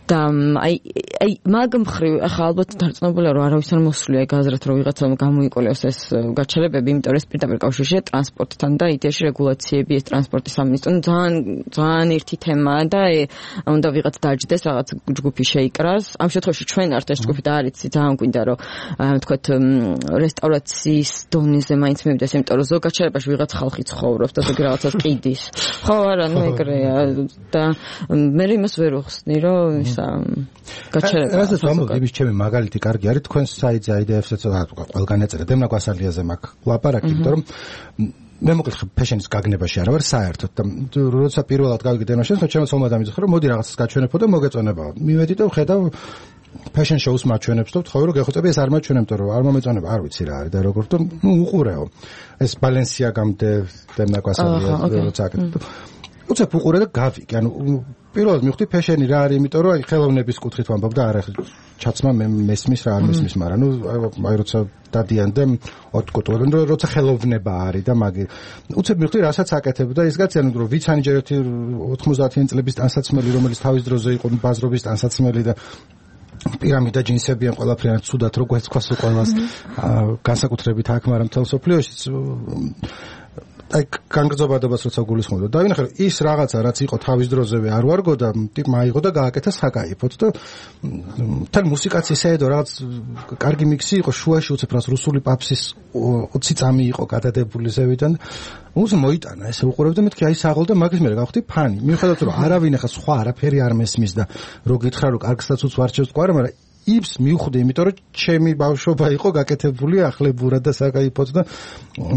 [SPEAKER 5] და აი აი მაგ მხრივ ახლა ალბათ დარწმუნებულია რომ არავის არ მოსვლია გაზრეთ რომ ვიღაცამ გამოიყოლოს ეს გაჩერებები იმიტომ რომ ეს პირდაპირ კავშირშია ტრანსპორტთან და იდეაში რეგულაციები ეს ტრანსპორტის სამინისტრო ძალიან ძალიან ერთი თემაა და უნდა ვიღაც დაჯდეს რაღაც ჯგუფი შეიკრას ამ შემთხვევაში ჩვენ ართ ეს ჯგუფი და არის ძალიან გვინდა რომ თქვათ რესტავრაციის დონეზე მაინც მივიდეს იმიტომ რომ ზოგ გაჩერებაში ვიღაც ხალხი ცხოვრობს და ზოგი რაღაცას ყიდის ხო არა ნუ ეგრეა და მე იმას ვერ ვხსნი რომ გაჩერება. რასაც ვამბობ, იმის ჩემი მაგალითი კარგი არის თქვენ საიტზე აიდეებს-ს ყველგან ეწერა დემნა გვასალიაზე მაქვს ლაპარაკი, იმიტომ რომ მე მოკლედ ფეშენის გაგნებაში არა ვარ საერთოდ და როცა პირველად გავიგე დემნაშენს, ჩემს ომად ამიძახე რომ მოდი რაღაცას გაჩვენებო და მოგეწონებაო. მივედი და ვხედავ ფეშენ შოუს მაჩვენებს და ვთხოვე რომ გეხოცები ეს არ მაჩვენებთ რომ არ მომეწონება არ ვიცი რა არის და როგორ თქო ნუ უყურეო. ეს ბალენსიაგამდე დემნა გვასალიაზე როცა აკეთებ. უცებ უყურე და გავიგე, ანუ პირველად მივხვდი ფეშენი რა არის, იმიტომ რომ აი ხელოვნების კუთხით ვამბობ და არა ჩაცმა მე მესმის რა არ მესმის, მაგრამ ნუ აი როცა დადიან და ოტკუტურენ რომ როცა ხელოვნება არის და მაგი უცებ მივხვდი რასაც აკეთებ და ის გაციან რომ ვიცანი ჯერ ერთი ოთხმოცდაათიანი წლების ტანსაცმელი რომელიც თავის დროზე იყო ბაზრობის ტანსაცმელი და პირამიდა ჯინსები ან ყველაფერი ცუდად რო გვეცქვას ყველას განსაკუთრებით აქ, მაგრამ მთელ სოფლიოში აი განგრძობადობას როცა გულისხმობდა და ვინახე რომ ის რაღაცა რაც იყო თავის დროზევე არ ვარგო და ტიპმა აიღო და გააკეთა საკაიფოდ და თან მუსიკაც ისეედო რაღაც კარგი მიქსი იყო შუაში უცებ რას რუსული პაპსის ოცი წამი იყო გადადებული ზევიდან უს მოიტანა ესე უყურებ და მეთქი აი საღოლ და მაგის მერე გავხდი ფანი მიუხედავად რომ არავინ ახლა სხვა არაფერი არ მესმის და რო გითხრა რომ კარგსაც უცვარჩევს ყვარა მაგრამ იბს მივხვდი, იმიტომ რომ ჩემი ბავშვობა იყო გაკეთებული ახლებურად და საკაიფოდ და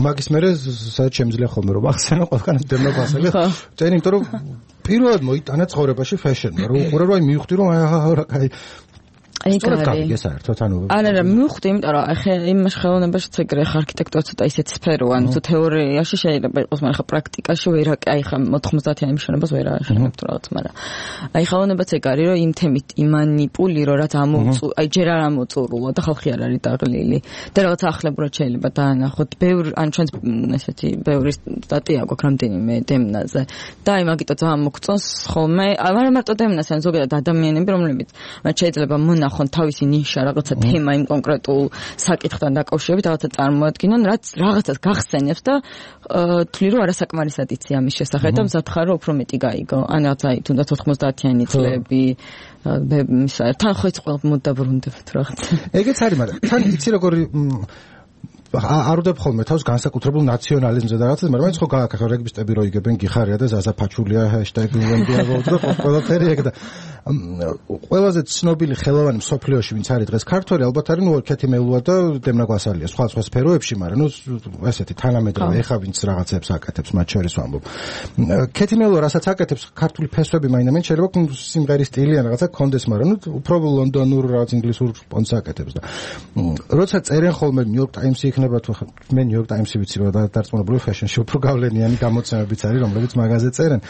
[SPEAKER 5] მაგის მერე სადაც შემიძლია ხოლმე რომ ახსენო ყველგან დემნა გასაგებ. წენი, იმიტომ რომ პირველად მოიტანა ცხოვრებაში ფეშენმა, რომ უყურე რომ აი მივხვდი რომ აი რა კაი აი კარგი საერთოდ ანუ არა არა მივხვდი იმიტომ რომ ახლა იმაში ხელოვნებაშიც ეგრე ხა არქიტექტურა ცოტა ისეთ სფეროა ანუ თუ თეორიაში შეიძლება იყოს მაგრამ ხა პრაქტიკაში ვერ აი ხა ოთხმოცდაათიანი მიშენებას ვერ აღშენებ თუ რაღაც მაგრამ აი ხელოვნებაც ეგ არის რომ იმ თემით იმანიპული რომ რაც ამოწუ აი ჯერ არ ამოწურულო და ხალხი არ არის დაღლილი და რაღაც ახლებურად შეიძლება დაანახოთ ბევრ ან ჩვენს ესეთი ბევრი სტატია გვაქვს რამდენიმე დემნაზე და აი მაგიტო ძალიან მოგწონს ხოლმე არა მარტო დემნაზე ან ზოგადად ადამიანები რომლებიც მათ შეიძლება მონა ხონ თავისი ნიშა რაღაცა თემა იმ კონკრეტულ საკითხთან დაკავშირებით რაღაცა წარმოადგინონ რაც რაღაცას გახსენებს და თვლი რომ არასაკმარისად იცი ამის შესახებ და მზადხარ რომ უფრო მეტი გაიგო ან რაღაცა თუნდაც ოთხმოცდაათიანი წლები თან ხო ის ყველა მოდაბრუნდებთ რაღაცა
[SPEAKER 4] ეგეც არის მაგრამ თან იცი როგორი არ უდებ ხოლმე თავს განსაკუთრებულ ნაციონალიზმზე და რაღაცას, მაგრამ ხო გააკეთე რეგბისტები რო იგებენ გიხარია და ზაზაფაჩულია ჰეშტეგი ვენდიაგო და ყველაფერი ეგ და ყველაზე ცნობილი ხელოვანი მსოფლიოში ვინც არის დღეს ქართველი ალბათ არის ნუ კეთი მელუა და დემნა გვასალია სხვა სხვა სფეროებში, მაგრამ ნუ ესეთი თანამედროვე ეხა ვინც რაღაცებს აკეთებს მათ შორის ვამბობ. კეთი მელუა რასაც აკეთებს ქართული ფესვები მაინდამაინც შეიძლება სიმღერის სტილი ან რაღაცა კონდეს, მაგრამ ნუ უფრო ლონდონურ რაღაც ინგლისურ პონს აკეთებს და როცა წერენ ხოლმე ნიუ-იორკ ტაიმსი იქნება თუ მე ნიუ-იორკ ტაიმსი ვიცი რომ დარწმუნებული ფეშენში უფრო გავლენიანი გამოცემებიც არის რომლებიც მაგაზე წერენ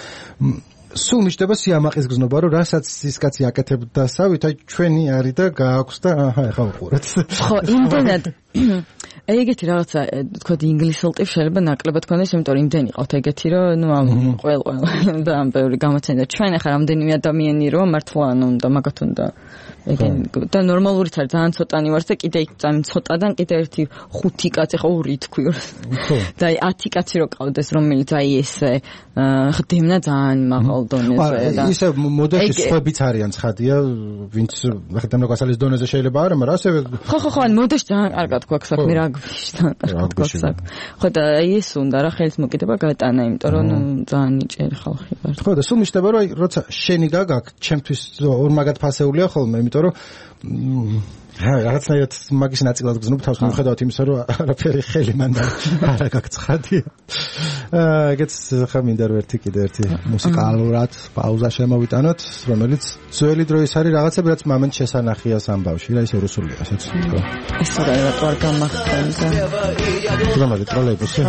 [SPEAKER 4] სულ მიჩნდება სიამაყის გზნობა რომ რასაც ის კაცი აკეთებდა სავით აი ჩვენი არის და გააქვს და აჰა ეხა ვუყურეთ
[SPEAKER 5] ხო იმდენად ეგეთი რაღაცა თქო ინგლისურ ტიპს შეიძლება ნაკლებად ქონდეს იმიტომ რომ იმდენი ყავთ ეგეთი რომ ნუ ამ ყველ ყველ და ამ ბევრი გამოცემა ჩვენ ახლა რამდენიმე ადამიანი რომ მართლა ანუ უნდა მაგათ უნდა და ნორმალურიც არის ძალიან ცოტანი ვარ და კიდე იქ ძალიან ცოტადან კიდე ერთი ხუთი კაცი ხო ორი თქვი და აი ათი კაცი რო ყავდეს რომელიც აი ესე ხდემნა ძალიან მაღალ დონეზე
[SPEAKER 4] და ისე მოდაში სხვებიც არიან ცხადია ვინც ხდემნა გასალის დონეზე შეიძლება არა მაგრამ ასევე
[SPEAKER 5] ხო ხო ხო ან მოდაში ძალიან კარგად გვაქვს საქმე რა რაგბიშთან კარგად. ხო და ეს უნდა რა ხელის მოკიდება გატანა, იმიტომ რომ ძალიან ნიჭიერი ხალხი ვარ.
[SPEAKER 4] ხო და სულ მიშდება რომ როცა შენი გაგაქვს, ჩემთვის ორმაგად ფასეულია ხოლმე, იმიტომ რომ ჰა, რაღაცნაირად მაგის ნაწილად გზნობ თავს მიუხედავად იმისა, რომ არაფერი ხელი მანდ არ გაგცხადია. აა, ეგეც ხა მინდა რომ ერთი კიდე ერთი მუსიკალურად პაუზა შემოვიტანოთ, რომელიც ძველი დროის არის რაღაცები, რაც მომენტ შესანახია სამბავში, რა ისე რუსულია, ასეც.
[SPEAKER 5] ეს რა რატო არ გამახსენდა?
[SPEAKER 4] რომელი ტროლეიბუსი?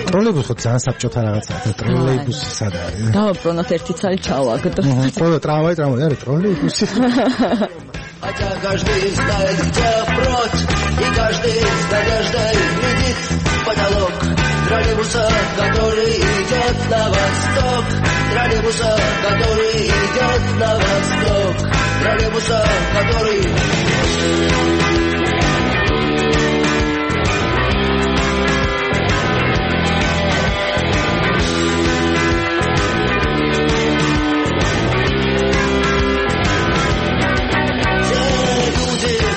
[SPEAKER 4] ტროლეიბუსი ხო ძალიან საბჭოთა რაღაცაა, ტროლეიბუსი სად არის?
[SPEAKER 5] დავაბრუნოთ ერთი ცალი ჩავაგდო.
[SPEAKER 4] ხო, ტრამვაი, ტრამვაი, არის ტროლეიბუსი.
[SPEAKER 7] Хотя каждый знает, где впрочь, и каждый с надеждой глядит в потолок троллейбуса, который идет на восток, троллейбуса, который идет на восток, троллейбуса, который...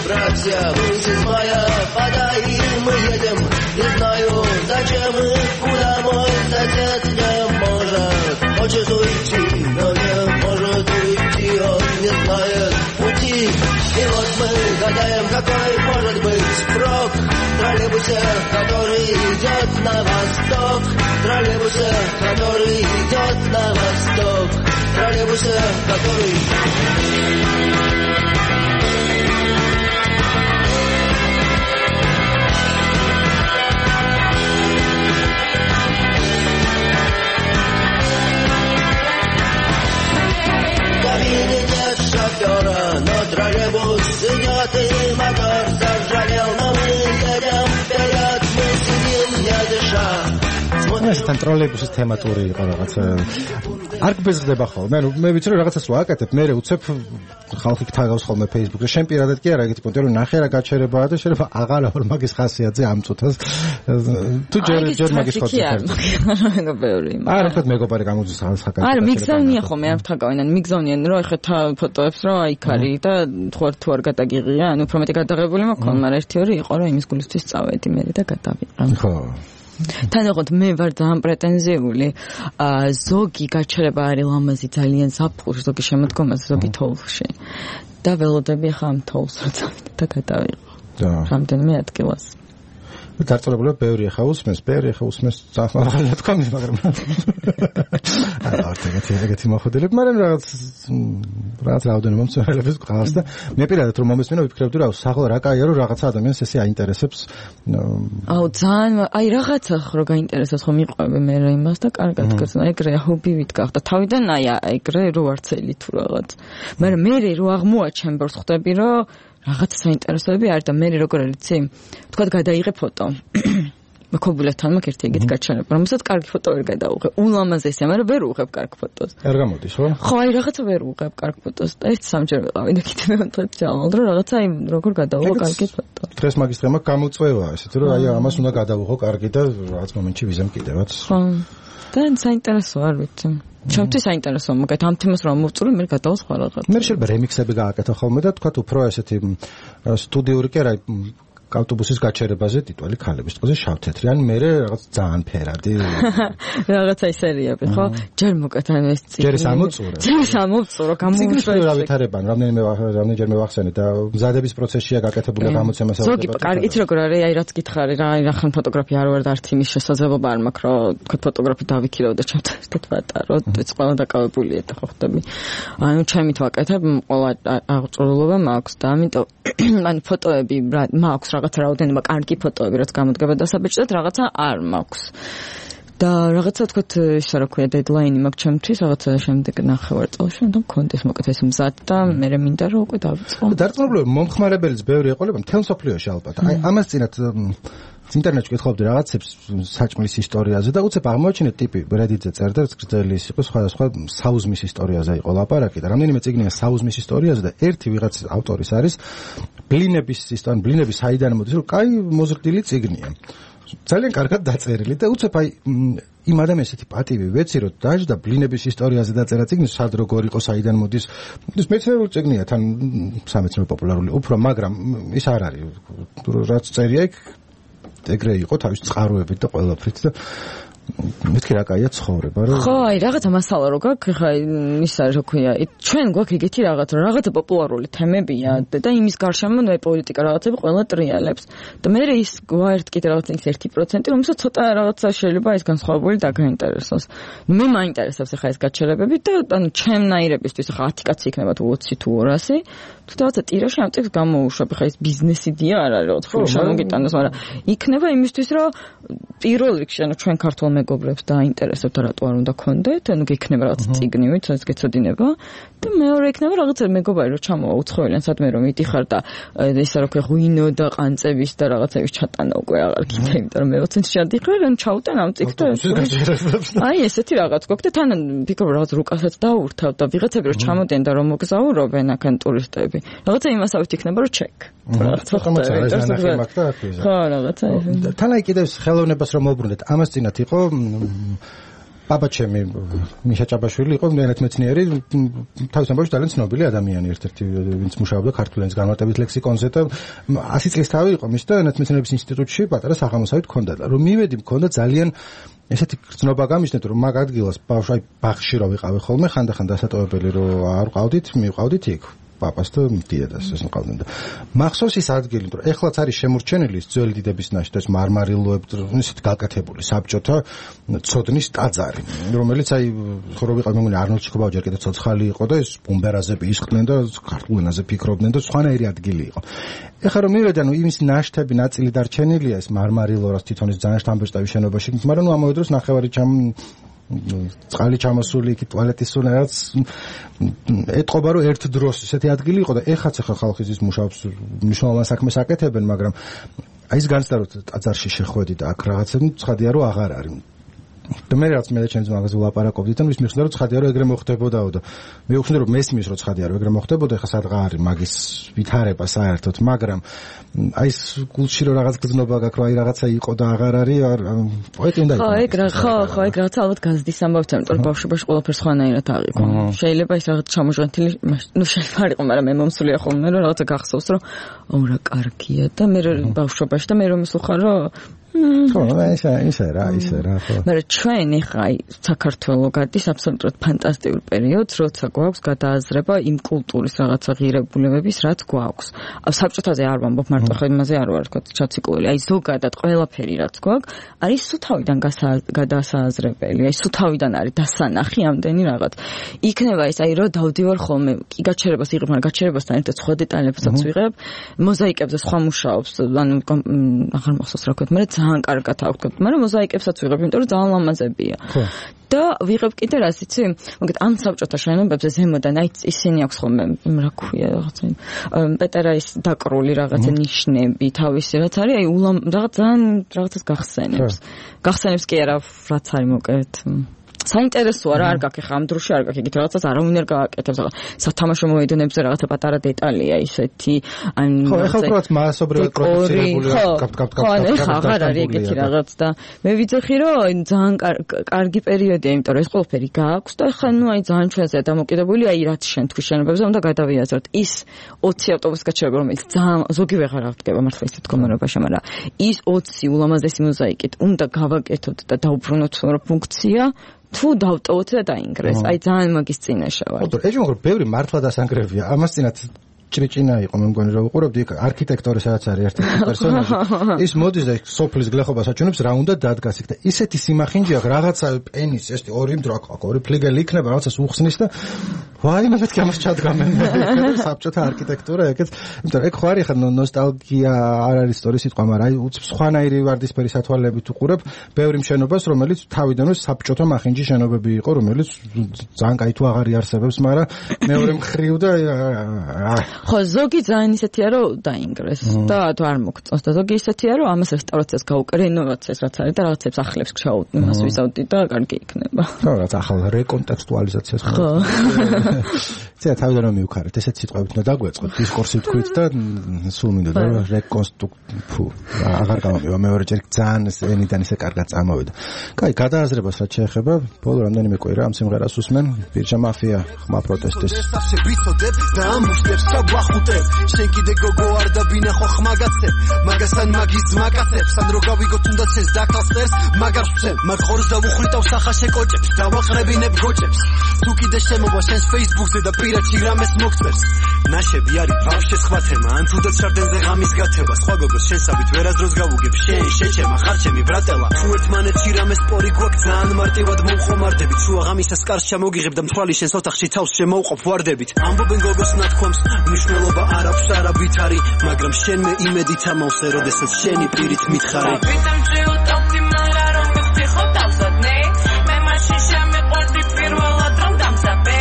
[SPEAKER 7] Братья, выйти из мая, подай, мы едем, не знаю, зачем и куда мой сосед не может. Хочет уйти, но не может уйти, он не знает пути. И вот мы гадаем, какой может быть срок в троллейбусе, который идет на восток, в троллейбусе, который идет на восток, в троллейбусе, который... Но троллейбус идет и мотор заржавел, но мы едем вперед, мы сидим не дыша.
[SPEAKER 4] ეს თან ტროლეიბუსის თემატური იყო რაღაც არ გბეზღდება ხოლმე. ანუ მე ვიცი რომ რაღაცას ვაკეთებ, მე უცებ ხალხი გთაგავს ხოლმე Facebook-ზე. შენ პირადად კი არა ეგეთი პონტი რომ ნახე რა გაჩერებაა და შეიძლება აღარ არ მაგის ხასიათზე ამწუთას. თუ ჯერ ჯერ მაგის ხოთი არ
[SPEAKER 5] მეგობარი.
[SPEAKER 4] არა ხო მეგობარი გამოდის ხალხაკა.
[SPEAKER 5] არა მიგზავნია ხოლმე არ ვთაგავენ, მიგზავნიან რომ ეხა ფოტოებს რომ აი ქარი და თუ არ თუ არ გადაგიღია, ანუ უფრო მეტი გადაღებული მაქონდა, მაგრამ ერთი ორი იყო რომ იმის გულისთვის წავედი მე და გადავიყრა.
[SPEAKER 4] ხო.
[SPEAKER 5] თანახოთ მე ვარ ძალიან პრეტენზიული. ზოგი გაჩერება არის ლამაზი ძალიან ზაფხულში, ზოგი შემოდგომაზე, ზოგი თოვლში. და ველოდები ხა ამ თოვლს რა წავიდე და გადავიყო.
[SPEAKER 4] და
[SPEAKER 5] რამდენიმე ადგილას.
[SPEAKER 4] დარწმუნებული ბევრი ახლა უსმენს, ბევრი ახლა უსმენს ძალიან თქვა, მაგრამ არა ეგეთი ეგეთი მოხდელები, მაგრამ რაღაც რაღაც რაოდენობა მომცველებს გყავს და მე პირადად რომ მომესმინა ვიფიქრებდი რა საღლა რა კაია რომ რაღაცა ადამიანს ესე აინტერესებს.
[SPEAKER 5] აუ ძალიან აი რაღაცა ხო გაინტერესებს ხო მიყვები მე რა იმას და კარგად გქონდა ეგრე ჰობივით გახდა თავიდან აი ეგრე რო არცელი თუ რაღაც. მაგრამ მე რო აღმოაჩენ ბორს ხვდები რომ რაღაც საინტერესოები არის და მე როგორ არიცი თქვა გადაიღე ფოტო მოკობულებთან მაგ ერთი ეგეთი გაჩვენება რომელსაც კარგი ფოტო ვერ გადაუღებ ულამაზესია მაგრამ ვერ უღებ კარგ ფოტოს
[SPEAKER 4] არ გამოდის ხო
[SPEAKER 5] ხო აი რაღაცა ვერ უღებ კარგ ფოტოს და ერთ სამჯერ ვიყავი და კიდევ მეოთხედ ჩავალ რომ რაღაცა აი როგორ გადაუღო კარგი ფოტო
[SPEAKER 4] დღეს მაგის თემა გამოწვევა ესეთ რომ აი ამას უნდა გადაუღო კარგი და რაღაც მომენტში ვიზამ კიდევაც
[SPEAKER 5] ხო და საინტერესო არ ვიცი ჩემთვის საინტერესოა მაგათ ამ თემას რომ მოვწურო მე გადავალ სხვა რაღაც
[SPEAKER 4] მე შეიძლება რემიქსები გააკეთო ხოლმე და თქვა უფრო ესეთი სტუდიური კი არა ავტობუსის გაჩერებაზე ტიტვალი ქალების თქოზე შავთეთრი ან მე რაღაც ძალიან ფერადი
[SPEAKER 5] რაღაცა ისერიები ხო ჯერ მოკეთ ან ეს
[SPEAKER 4] წიგნი ჯერ სამოწურო
[SPEAKER 5] ჯერ სამოწურო გამოუშვეს
[SPEAKER 4] რა ვითარებან რამდენიმე რამდენჯერ მევახსენე და მზადების პროცესშია გაკეთებული გამოცემა
[SPEAKER 5] ზოგი კარგი იცი როგორ არის აი რაც გითხარი რა აი რახან ფოტოგრაფია არ ვარ და არც იმის შესაძლებლობა არ მაქვს რომ თქვა ფოტოგრაფი დავიქირავ და ჩემთან ერთად ვატარო ეს ყველა დაკავებულია და ხო ხდები ანუ ჩემით ვაკეთებ ყველა აღწურულობა მაქვს და ამიტომ ან ფოტოები მაქვს რაღაცა რაოდენობა კარგი ფოტოები რაც გამოდგება დასაბეჭდად რაღაცა არ მაქვს და რაღაცა თქვათ ისა რა ქვია დედლაინი მაქვს ჩემთვის რაღაცა შემდეგ ნახევარ წელში უნდა მქონდეს მოკეთ ეს მზად და მე მინდა რომ უკვე დავიწყო
[SPEAKER 4] დარწმუნებული მომხმარებელიც ბევრი ეყოლება მთელ მსოფლიოში ალბათ აი ამას წინათ ინტერნეტში გითხობდი რაღაცებს საჭმლის ისტორიაზე და უცებ აღმოაჩინე ტიპი Reddit-ზე წერდა გრძელი იყო სხვადასხვა საუზმის ისტორიაზე იყო ლაპარაკი და რამდენიმე წიგნია საუზმის ისტორიაზე და ერთი ვიღაც ავტორის არის ბლინების ისტორია ბლინების საიდან მოდის რომ კაი მოზრდილი წიგნია ძალიან კარგად დაწერილი და უცებ აი იმ ადამიანს ესეთი პატივი ვეცი რომ დაждდა ბლინების ისტორიაზე დაწერა წიგნი სად როგორ იყო საიდან მოდის ეს მეცნიერული წიგნია თან სამეცნიერო პოპულარული უფრო მაგრამ ის არ არის რაც წერია იქ ეგრე იყო თავის წყაროებით და ყველაფრით და მეთქი რა კაია ცხოვრება რა
[SPEAKER 5] ხო აი რაღაცა მასალა რო გაქვს ხა ისა რა ქვია ჩვენ გვაქვს ეგეთი რაღაც რა რაღაცა პოპულარული თემებია და იმის გარშემო ნუ პოლიტიკა რაღაცები ყველა ტრიალებს და მე ის გვაერთ კიდე რაღაც ის ერთი პროცენტი რომელსაც ცოტა რაღაცა შეიძლება ეს განსხვავებული დაგაინტერესოს ნუ მე მაინტერესებს ხა ეს გაჩერებები და ანუ ჩემნაირებისთვის ხა ათი კაცი იქნება თუ ოცი თუ ორასი თუ რაღაცა ტირაჟი ამ ტექს გამოუშვებ ხა ეს ბიზნესიდია არ არის ოთხი შემოგიტანოს მაგრამ იქნება იმისთვის რომ პირველ რიგში ანუ ჩვენ ქართულ მეგობრებს დაინტერესებთ რატო არ უნდა გქონდეთ ანუ გექნება რაღაც წიგნივით რაც გეცოდინება და მეორე იქნება რაღაცა მეგობარი რომ ჩამოვა უცხოელენ სადმე რომ მიდიხარ და ესა რა ქვია ღვინო და ყანწების და რაღაცების ჩატანა უკვე აღარ გინდა იმიტომ რომ მე ოცენში ჩადიხარ ან ჩაუტან ამ წიგნს და აი ესეთი რაღაც გვაქვს და თან ფიქრობ რაღაც რუკასაც დაურთავ და ვიღაცები რომ ჩამოდენ და რომ მოგზაურობენ აქან ტურისტები რაღაცა იმასავით იქნება რომ ჩეკ
[SPEAKER 4] რაღაცა
[SPEAKER 5] ხო რაღაცა
[SPEAKER 4] თან აი კიდევ ხელოვნებას რომ მოუბრუნდეთ ამას წინათ იყო ბაბა ჩემი მიშა ჭაბაშვილი იყო ენათმეცნიერი თავის ამბავში ძალიან ცნობილი ადამიანი ერთ-ერთი ვინც მუშაობდა ქართულ ენის განმარტებით ლექსიკონზე და ასი წლის თავი იყო მის და ენათმეცნიერების ინსტიტუტში პატარა სახელმოსავით ჰქონდა და რომ მივედი მქონდა ძალიან ესეთი გრძნობა გამიშნეთ რომ მაგ ადგილას ბავშვი აი ბაღში რო ვიყავი ხოლმე ხანდახან დასატოვებელი რო არ ყავდით მივყავდით იქ პაპას და დედას ეს მყავდნენ და მახსოვს ის ადგილი რომ ეხლაც არის შემორჩენილი ძველი დიდების ნაშთი ეს მარმარილოები ისეთ გაკეთებული საბჭოთა ცოდნის ტაძარი რომელიც აი ხო რო ვიყავ მეგონი არნოლდ ჩიქობავა ჯერ კიდე ცოცხალი იყო და ეს ბუმბერაზები ისხდნენ და ქართულ ენაზე ფიქრობდნენ და სხვანაირი ადგილი იყო ეხლა რომ მივედი ანუ იმის ნაშთები ნაწილი დარჩენილია ეს მარმარილო რაც თვითონ ის ძალიან შთამბეჭდავი შენობაში მაგრამ ნუ ამავე დროს ნახევარი ჩამ წყალი ჩამოსული იქ ტუალეტის სუნერაც ეთყობა რომ ერთ დროს ესეთი ადგილი იყო და ეხაც ახლა ხალხი ის მუშაობს მნიშვნელოვან საქმეს აკეთებენ მაგრამ აი ის განცდა რომ ტაძარში შეხვედი და აქ რაღაცები ცხადია რომ აღარ არის და მე რაც მე და ჩემს მაგაზე ვლაპარაკობდი და მის მიხვდა რომ ცხადია რომ ეგრე მოხდებოდაო და მე ვხსნი რომ მესმის რომ ცხადია რომ ეგრე მოხდებოდა ეხლა სადღა არის მაგის ვითარება საერთოდ მაგრამ აი ეს გულში რომ რაღაც გზნობა გაქვს რომ აი რაღაცა იყო და აღარ არის პოეტი უნდა
[SPEAKER 5] იყო ხო ეგ რა ხო ხო ეგ რაღაც ალბათ გაზდის ამბავთ იმიტომ რომ ბავშვობაში ყველაფერს ხვანაირად აღიქვა შეიძლება ის რაღაც ჩამოჟღენთილი ნუ შეიძლება არ იყო მაგრამ მე მომსულია ხოლმე რომ რაღაცა გახსოვს რომ აუ რა კარგია და მე ბავშვობაში და მე რომ ისუხარ რომ
[SPEAKER 4] ხო, ისე ისე რა, ისე რა, ხო.
[SPEAKER 5] მაგრამ ჩვენ ახლა აი საქართველოს გადის აბსოლუტურად ფანტასტიკურ პერიოდს, როცა გვაქვს გადააზრება იმ კულტურის რაღაცა ღირებულებების, რაც გვაქვს. საბჭოთაზე არ ვამბობ, მარტო ხო იმაზე არ ვარ თქო, ჩაციკლული. აი ზოგადად ყველაფერი რაც გვაქვს, არის სუთავიდან გადასააზრებელი. აი სუთავიდან არის დასანახი ამდენი რაღაც. იქნება ის აი რომ დავდივარ ხოლმე, კი გაჩერებას იღებ, მაგრამ გაჩერებასთან ერთად სხვა დეტალებსაც ვიღებ, მოზაიკებზე სხვა მუშაობს, ანუ აღარ მახსოვს რა ვქოთ, მაგრამ ძალიან კარგად ავქოთ, მაგრამ მოზაიკებსაც ვიღებ, იმიტომ რომ ძალიან ლამაზებია. ხო. და ვიღებ კიდე რას იცი? მოგეთ ამ საბჭოთა შენობებზე ზემოდან აი ისინი აქვს ხოლმე, რა ქვია რაღაცა პეტერაის დაკრული რაღაცა ნიშნები, თავისი რაც არის, აი ულამ რაღაც ძალიან რაღაცას გახსენებს. გახსენებს კი არა, რაც არის მოკეთ. საინტერესოა რა არ გაქვს ხა ამ დროში არ გაქვს ეგეთ რაღაცას არავინ არ გააკეთებს ახლა სათამაშო მოედნებზე რაღაცა პატარა დეტალია ისეთი ან
[SPEAKER 4] ხო ეხლა უბრალოდ მასობრივად პროდუცირებული
[SPEAKER 5] ხო ხო აღარ არის ეგეთი რაღაც და მე ვიცი რომ ძალიან კარგი პერიოდია იმიტომ რომ ეს ყველაფერი გააქვს და ხა ნუ აი ძალიან ჩვენზეა დამოკიდებული აი რაც შენ თქვი შენობებზე უნდა გადავიაზროთ ის ოცი ავტობუსი გაჩერება რომელიც ძალიან ზოგი ვეღარ აღდგება მართლა ისეთ მდგომარეობაში მაგრამ ის ოცი ულამაზესი მოზაიკით უნდა გავაკეთოთ და დაუბრუნოთ ფუნქცია თუ დავტოვოთ და დაინგრეს. აი ძალიან მაგის წინაშე ვარ.
[SPEAKER 4] ხო, ეჭვი მაგრამ ბევრი მართლა დასანგრევია. ამას წინათ ჭრიჭინა იყო მე მგონი რომ უყურებდი იქ არქიტექტორი სადაც არის ერთ-ერთი პერსონაჟი. ის მოდის და სოფლის გლეხობას აჩვენებს რა უნდა დადგას იქ და ისეთი სიმახინჯია რაღაცა პენის ესეთი ორი მდრო აქ ორი ფლიგელი იქნება რაღაცას უხსნის და ვაი მე მეთქი ამას ჩადგამენ. საბჭოთა არქიტექტურა ეგეც. იმიტომ რომ ეგ ხო არის ხა ნოსტალგია არ არის სწორი სიტყვა, მაგრამ აი სხვანაირი ვარდისფერი სათვალეებით უყურებ ბევრი მშენობას რომელიც თავიდანვე საბჭოთა მახინჯი შენობები იყო რომელიც ძალიან კაი თუ აღარ იარსებებს, მაგრამ მეორე მხრივ და
[SPEAKER 5] ხო ზოგი ძალიან ისეთია რომ დაინგრეს და თუ არ მოგწონს და ზოგი ისეთია რომ ამას რესტავრაციას გაუკე რენოვაციას რაც არის და რაღაცებს ახლებს ჩაუთ იმას ვისავდი და კარგი იქნება
[SPEAKER 4] ხო რაღაც ახალ რეკონტექსტუალიზაციას
[SPEAKER 5] ხო
[SPEAKER 4] ცე თავიდან რომ მივქარეთ ესეთ სიტყვებით უნდა დაგვეწყოთ დისკურსი თქვით და სულ მინდა და რეკონსტრუქცია აღარ გამომივა მეორე ჯერ ძალიან ენიდან ისე კარგად წამოვიდა კაი გადააზრებას რაც შეეხება ბოლო რამდენიმე კვირა ამ სიმღერას უსმენ ბირჟა მაფია ხმა პროტესტის
[SPEAKER 8] ვახუტებ შენ კიდე გოგო არ დაბინახო ხმაგაცებ მაგასთან მაგის მაკაცებს ან რო გავიგო თუნდაც ეს დაკალსერს მაგარ ვცემ მაგ ხორს დავუხრიტავ სახაშე კოჭებს დავაყრებინებ გოჭებს თუ კიდე შემოვა შენს Facebook-ზე და პირადში რამეს მოგწერს ნაშები არის ბავშვი სხვა თემა ან თუნდაც შარდენზე ღამის გათება სხვა გოგოს შენსავით ვერასდროს გავუგებ შენ შეჩემა ხარჩემი ბრატელა თუ ერთმანეთში რამეს პორი გვაქვს ძალიან მარტივად მომხომარდებით შუა ღამისას კარს ჩამოგიღებ და მთვალი შენს ოთახში თავს შემოუყოფ ვარდებით ამბობენ გოგოს ნათქვამს მნიშვნელობა არ აქვს არაბით არის მაგრამ შენ მე იმედით ამოვსე როდესაც შენი პირით მითხარი
[SPEAKER 9] ვიტამ ჯიუტავდი მარა რომ მიხო დავზადნე მე მაშინ შემეყვარდი პირველად რომ დამზაბე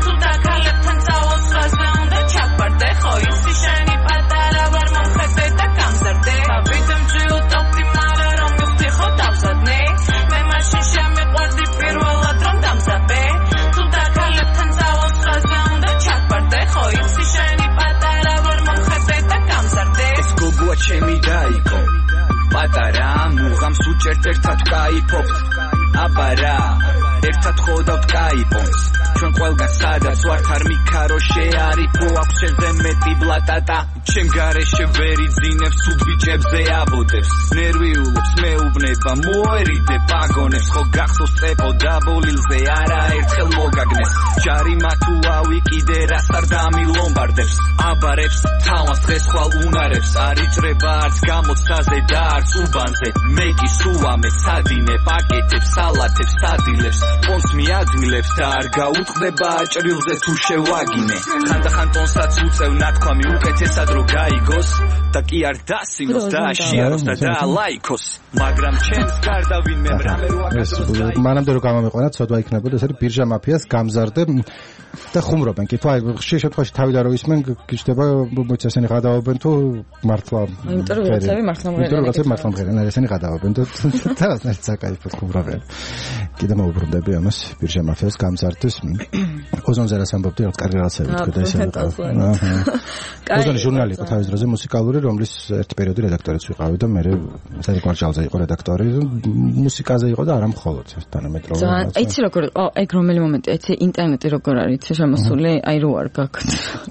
[SPEAKER 9] თუ დაკალებთან წავალ ხაზე უნდა ჩაფარდე ხო ისი შენი პატარა ვარ მომხედე და გამზარდე ვიტამ ჯიუტავდი მარა რომ მიხო დავზადნე მე მაშინ შემეყვარდი პირველად რომ დამზაბე თუ დაკალებთან წავალ ხაზე უნდა ჩაფარდე ხო ისი შენი პატარა ვარ მომხედე და გამზარდე
[SPEAKER 8] ეს გოგოა ჩემი დაიკო პატარა მუღამს უჭერთ ერთად კაიფობთ აბარა ერთად ხოვდავთ კაიფონს ჩვენ ყველგან სადაც ვართ არ მიქარო შეარიფო აქვს შენზე მეტი ბლატატა ჩემ გარეშე ვერ იძინებს თუ ბიჭებზე აბოდებს ნერვიულობს მეუბნება მოერიდე პაგონებს ხო გახსოვს წეპო დაბოლილზე არა ერთხელ მოგაგნეს ჯარიმა თუ ავი კიდე რას არ დამილომბარდებს აბარებს თავას დღეს ხვალ უნარებს არ იჭრება არც გამოცდაზე და არც უბანზე მე კი სუამე სადინე პაკეტებს სალათებს სადილებს პონს მიაძმილებს და არ გაუწყდება ჭრილზე თუ შევაგინე ხანდახან ტონსაც უწევ ნათქვამი უკეთესად რო გაიგოს და კი არ დასინოს და აშიაროს და დაალაიქოს მაგრამ ჩემს გარდა ვინმე რამე რო აკეთოს
[SPEAKER 4] მანამდე რო გამომეყვანა ცოდვა იქნებოდა ეს არის ბირჟა მაფიას გამზარდე და ხუმრობენ კი თუ აი ხშირ შემთხვევაში თავიდან რო ისმენ გიჩნდება მოიც ესენი გადავობენ თუ მართლა
[SPEAKER 5] იმიტომ რომ რაღაცები მართლა მღერიან
[SPEAKER 4] იმიტომ რომ რაღაცები მართლა მღერიან ესენი გადავობენ და თავს საკაიფოდ ხუმრობენ კიდე მოუბრუნდები ამას ბირჟა მაფიას გამზარდეს ოზონზე რას ამბობდი რაღაც კარგი რაღაცები თქვა და ესე აჰა ოზონი ჟურნალი იყო თავის დროზე მუსიკალური რომლის ერთ პერიოდი რედაქტორიც ვიყავი და მე სერიკ მარშალზე იყო რედაქტორი მუსიკაზე იყო და არა მხოლოდ თანამედროვე
[SPEAKER 5] ძალიან აიცი როგორ იყო ეგ რომელი მომენტი აიცი ინტერნეტი როგორ არის შემოსული აი რო არ გაქვთ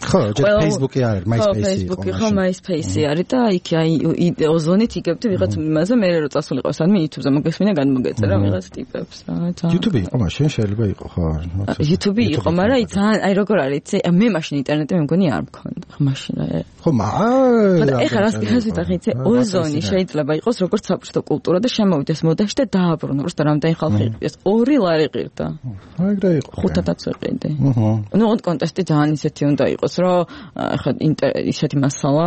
[SPEAKER 4] ხო ჯერ Facebook-ი არის MySpace-ი იყო
[SPEAKER 5] ხო MySpace-ი არის და იქ აი ოზონით იგებდი ვიღაც იმაზე მე რო წასულიყო სადმე YouTube-ზე მოგესმინა განმოგეწერა ვიღაც ტიპებს რა
[SPEAKER 4] YouTube-ი იყო მაშინ შეიძლება იყო ხო
[SPEAKER 5] YouTube-ი იყო მაგრამ აი ძალიან აი როგორ არის იცი მე მაშინ ინტერნეტი მე მგონი არ მქონდა მაშინ
[SPEAKER 4] ხო მა
[SPEAKER 5] ეხლა რას ვიტყვი იცი ოზონი შეიძლება იყოს როგორც საბჭოთა კულტურა და შემოვიდეს მოდაში და დააბრუნა просто რამდენი ხალხი იყო ორი ლარი ყირდა
[SPEAKER 4] ეგრე იყო
[SPEAKER 5] ხუთადაც ვიყიდი ну вот კონტესტი ძალიან ისეთი უნდა იყოს რომ ეხლა ისეთი მასალა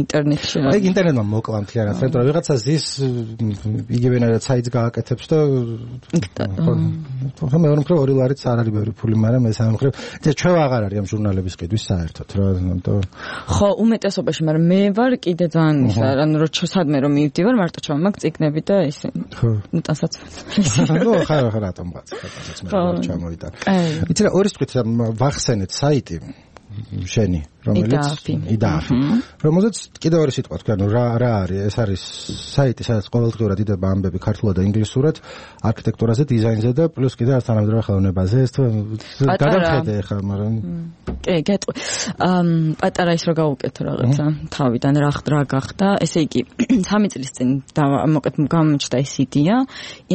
[SPEAKER 5] ინტერნეტში
[SPEAKER 4] აი ინტერნეტმა მოკლა მთლიანად რომ ვიღაცა ზის იგივენად საიტს გააკეთებს და ხო მე ვამქრე ორი ლარიც არ არის ბევრი ფული მაგრამ ეს ამქრე და ჩვენ აღარ არის ამ ჟურნალების ყიდვის საერთოდ რა
[SPEAKER 5] ხო უმეტესობაში მაგრამ მე ვარ კიდე ძალიან ისა ანუ რომ სადმე რომ მივდივარ მარტო ჩამაგ წიგნები და ისე
[SPEAKER 4] ხო
[SPEAKER 5] ნუ ტანსაც
[SPEAKER 4] ნუ ხარ ხარ რატომ ბაც ხარ ჩამოვიდა იცი რა ორის თქვით ვახსენეთ საიტი შენი რომელიც იდააფი რომელზეც კიდევ ორი სიტყვა თქვა ნუ რა რა არის ეს არის საიტი სადაც ყოველდღიურად იდება ამბები ქართულად და ინგლისურად არქიტექტურაზე დიზაინზე და პლუს კიდევ არც თანამედროვე ხელოვნებაზე ეს თუ გადავხედე ხა მაგრამ
[SPEAKER 5] კი გეტყვი პატარა ის რა გავუკეთო რაღაცა თავიდან რა რა გახდა ესე იგი სამი წლის წინ მოკეთ გამოჩნდა ეს იდეა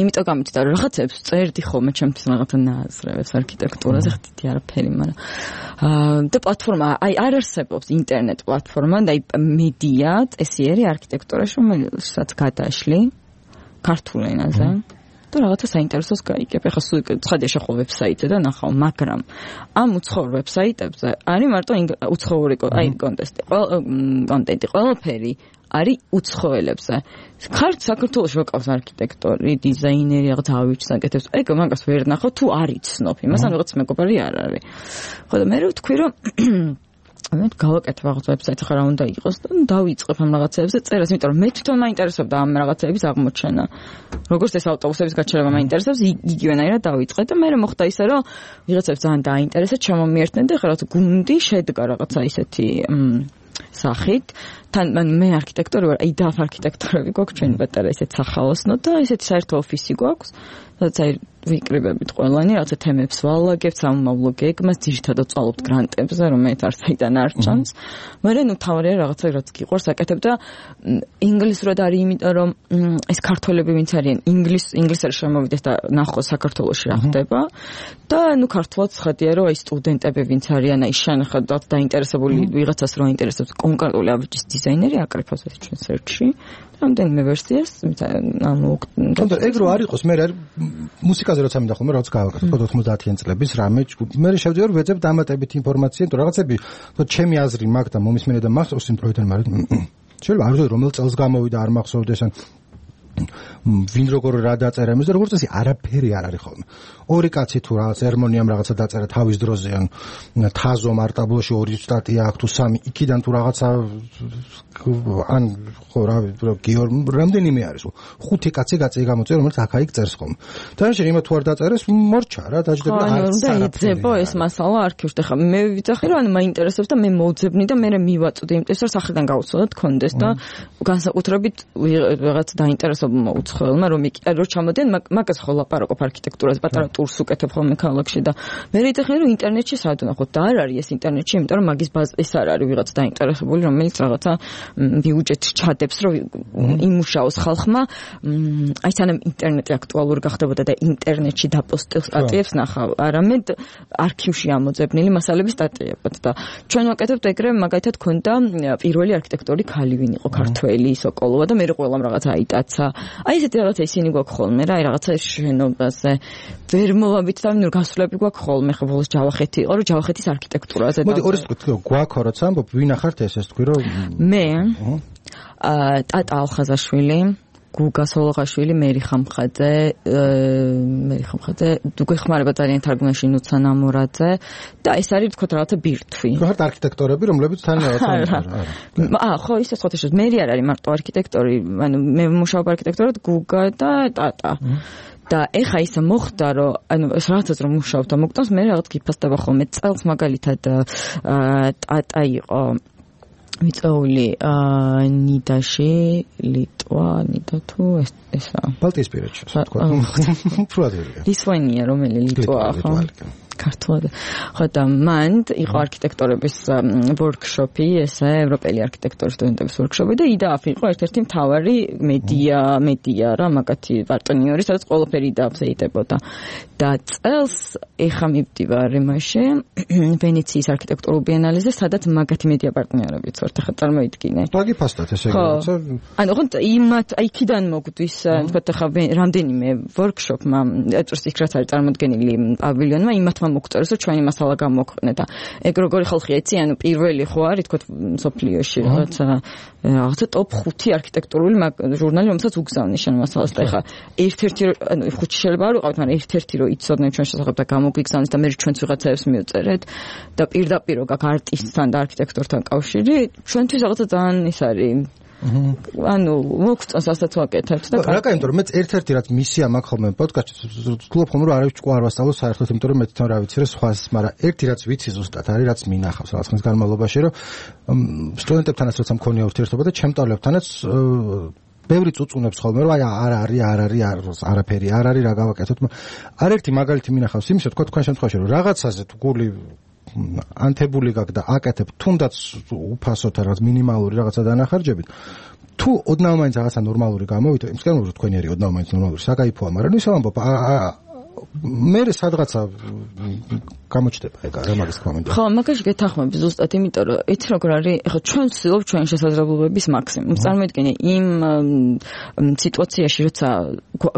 [SPEAKER 5] იმიტომ გამოჩნდა რომ რაღაცებს წერდი ხოლმე ჩემთვის რაღაცა ნააზრევებს არქიტექტურაზე ხდიდი არაფერი მაგრამ და პლატფორმა აი არ არსებობს ინტერნეტ პლატფორმა და მედია წესიერი არქიტექტურაში რომელსაც გადაშლი ქართულ ენაზე და რაღაცა საინტერესოს გაიგებ. ეხლა სულ ცხადია შეხო ვებსაიტზე და ნახავ, მაგრამ ამ უცხოურ ვებსაიტებზე არის მარტო უცხოური აი კონტესტი, კონტენტი, ყველაფერი არის უცხოელებზე. ხართ საქართველოში ვაკავს არქიტექტორი, დიზაინერი, რაღაც ავიჩს აკეთებს. ეგ მაგას ვერ ნახავ თუ არ იცნობ. იმასთან რაღაც მეგობარი არ არის. ხო და მე ვთქვი რომ მე გავაკეთე რაღაც ვებსაიტს ხარ რა უნდა იყოს და დავიწყებ ამ რაღაცებზე წერას, იმიტომ რომ მე თვითონ მაინტერესებდა ამ რაღაცების აღმოჩენა. როგორც ეს ავტობუსების გაჩერება მაინტერესებს, იგივენაირად დავიწყე და მე მოხდა ისე რომ ვიღაცებს ძალიან დააინტერესა, ჩამომიერთნენ და რაღაც გუნდი შედგა რაღაცა ისეთი სახით. თან მე არქიტექტორი ვარ, აი დაფ არქიტექტორები გვაქვს ჩვენი პატარა ისეთ სახალოსნო და ისეთი საერთო ოფისი გვაქვს. სადაც აი ვიკრიბებით ყველანი, რაღაცა თემებს ვალაგებთ, სამომავლო გეგმას, ძირითადად წვალობთ გრანტებზე, რომელიც არ საიდან არ ჩანს. მაგრამ ნუ თავარია რაღაცა რაც გიყვარს აკეთებ და ინგლისურად არის, იმიტომ რომ ეს ქართველები ვინც არიან, ინგლის ინგლისური შემოვიდეს და ნახოს საქართველოში რა ხდება და ნუ ქართულად ხედია რომ აი სტუდენტები ვინც არიან, აი შენახებათ დაინტერესებული ვიღაცას რო აინტერესებს კონკრეტული აბრჯის დიზაინერი აკრიფოს ეს ჩვენ სერჩში. რამდენიმე ვერსიას, ანუ
[SPEAKER 4] თუმცა ეგ რო არ იყოს, მე რა მუსიკაზე როცა მინდა ხოლმე რაღაც გავაკეთე, თქო ოცდაათიან წლების რამე, მე შევძე რომ ვეძებ დამატებით ინფორმაცია, თუ რაღაცები, თქო ჩემი აზრი მაგ და მომისმენე და მახსოვს იმ პროექტთან, მაგრამ შეიძლება არ ვიცი რომელ წელს გამოვიდა, არ მახსოვდეს ან ვინ როგორ რა დაწერა იმის და როგორც წესი არაფერი არ არის ხოლმე. ორი კაცი თუ რაღაც ერმონიამ რაღაცა დაწერა თავის დროზე ან თაზო მარტაბლოში ორი სტატია აქვს თუ სამი იქიდან თუ რაღაცა ან ხო რა გიორ რამდენიმე არის ხუთი კაცი გაწი გამოწერა რომელიც აქა-იქ წერს ხოლმე. თანაშენ იმათ თუ არ დაწერეს მორჩა რა დაждდება და არც
[SPEAKER 5] არა. ანუ დაიძებო ეს მასალა არქივში და ხა მე ვიცახი რომ ანუ მაინტერესებს და მე მოვძებნი და მე მივაწვდი იმიტომ რომ სახელიდან გავუცოდოთ კონდეს და განსაკუთრებით რაღაც დაინტერესებულ მოუცხოელმა რომ რო ჩამოდიან მაგას ხო ლაპარაკობ არქიტექტურაზე პატარა ტურს უკეთებ ხოლმე ქალაქში და მე ვიძახი რომ ინტერნეტში სად ვნახოთ და არ არის ეს ინტერნეტში იმიტომ რომ მაგის ბაზა ეს არ არის ვიღაც დაინტერესებული რომელიც რაღაცა ბიუჯეტს ჩადებს რომ იმუშაოს ხალხმა აი სანამ ინტერნეტი აქტუალური გახდებოდა და ინტერნეტში დაპოსტილ სტატიებს ნახავ არამედ არქივში ამოძებნილი მასალების სტატიებად და ჩვენ ვაკეთებთ ეგრე მაგალითად ქონდა პირველი არქიტექტორი ქალი ვინ იყო ქართველი სოკოლოვა და მე ყველამ რაღაცა აიტაცა აი ესეთი რაღაცა ისინი გვაქვს ხოლმე რა აი რაღაცა შენობაზე ვერ მოვაბით და ნუ გასვლები გვაქვს ხოლმე ხო ბოლოს ჯავახეთი იყო რომ ჯავახეთის არქიტექტურაზე
[SPEAKER 4] და მოდი ორი სიტყვით გვაქვს როცა ამბობ ვინ ახართ ეს ეს თქვი რომ
[SPEAKER 5] მე აა ტატა ალხაზაშვილი გუგა სოლოღაშვილი მერი ხამხაძე მერი ხამხაძე გეხმარება ძალიან თარგმანში ნუცა ნამორაძე და ეს არის თქო რაღაცა ბირთვი
[SPEAKER 4] გახართ არქიტექტორები რომლებიც თან რაღაცა
[SPEAKER 5] აა ხო ისე სხვა შეიძლება მერი არ არის მარტო არქიტექტორი ანუ მე მუშაობ არქიტექტორად გუგა და ტატა და ეხა ისე მოხდა რომ ანუ ეს რაღაცას რომ მუშაობ და მოგტანს მე რაღაც გიფასდება ხოლმე წელს მაგალითად ტატა იყო მიწეული ნიდაში ლიტვა ნიდა თუ ეს ესა
[SPEAKER 4] ბალტიისპირეთში თქვა ფრუადერია
[SPEAKER 5] ლისვენია რომელი ლიტვაა ხო ქართულად ხო და მან იყო არქიტექტორების ვორქშოპი ესე ევროპელი არქიტექტორის სტუდენტების ვორქშოპი და იდააფ იყო ერთ-ერთი მთავარი მედია მედია რა მაგათი პარტნიორი სადაც ყველაფერი იდააფზე იდებოდა და წელს ეხა მივდივარ იმაში ვენეციის არქიტექტურულ ბიენალეზე სადაც მაგათი მედია პარტნიორებიც ვართ ახლა წარმოიდგინე
[SPEAKER 4] დაგიფასდათ ესე რაღაცა
[SPEAKER 5] ანუ ხო იმათ აიქიდან მოგდის თქვათ ახლა რამდენიმე ვორქშოპმა ეწურს იქ რაც არის წარმოდგენილი პავილიონმა იმათ მოგწეროს რომ ჩვენი მასალა გამოქვეყნე და ეგ როგორი ხალხია იცი ანუ პირველი ხო არის თქო სოფლიოში რაღაცა რაღაცა ტოპ ხუთი არქიტექტურული ჟურნალი რომელსაც უგზავნის შენ მასალას და ეხა ერთ-ერთი ანუ ხუთი შეიძლება არ ვიყავით მაგრამ ერთ-ერთი რომ იცოდნენ ჩვენ შესახებ და გამოგვიგზავნის და მე ჩვენც ვიღაცებს მივწერეთ და პირდაპირ რო გაქვს არტისტთან და არქიტექტორთან კავშირი ჩვენთვის რაღაცა ძალიან ის არის ანუ მოგწონს ასაც ვაკეთებთ და
[SPEAKER 4] რა კაი იმიტომ რომ მეც ერთ-ერთი რაც მისია მაქვს ხოლმე პოდკასტში ვთქვი ხოლმე რომ არავის ჭკუა არ ვასწავლო საერთოდ იმიტომ რომ მე თვითონ რა ვიცი რა სხვას მაგრამ ერთი რაც ვიცი ზუსტად არის რაც მინახავს რაღაც ხნის განმავლობაში რომ სტუდენტებთანაც როცა მქონია ურთიერთობა და ჩემტავლებთანაც ბევრი წუწუნებს ხოლმე რომ აი არ არის არ არის არაფერი არ არის რა გავაკეთოთ არერთი მაგალითი მინახავს იმისა თქვა თქვენ შემთხვევაში რომ რაღაცაზე თუ გული ანთებული გაქვს და აკეთებ თუნდაც უფასოდ რაღაც მინიმალური რაღაცა დანახარჯებით თუ ოდნავ მაინც რაღაცა ნორმალური გამოვიდა იმის გამო რომ თქვენი არის ოდნავ მაინც ნორმალური საკაიფოა მაგრამ ისე ვამბობ მე სადღაცა გამოჩდება ეგ რა მაგის კომენტარი
[SPEAKER 5] ხო მაგაში გეთანხმები ზუსტად იმიტომ რომ იცი როგორ არის ეხლა ჩვენ ვცდილობთ ჩვენი შესაძლებლობების მაქსიმუმს წარმოიდგინე იმ სიტუაციაში როცა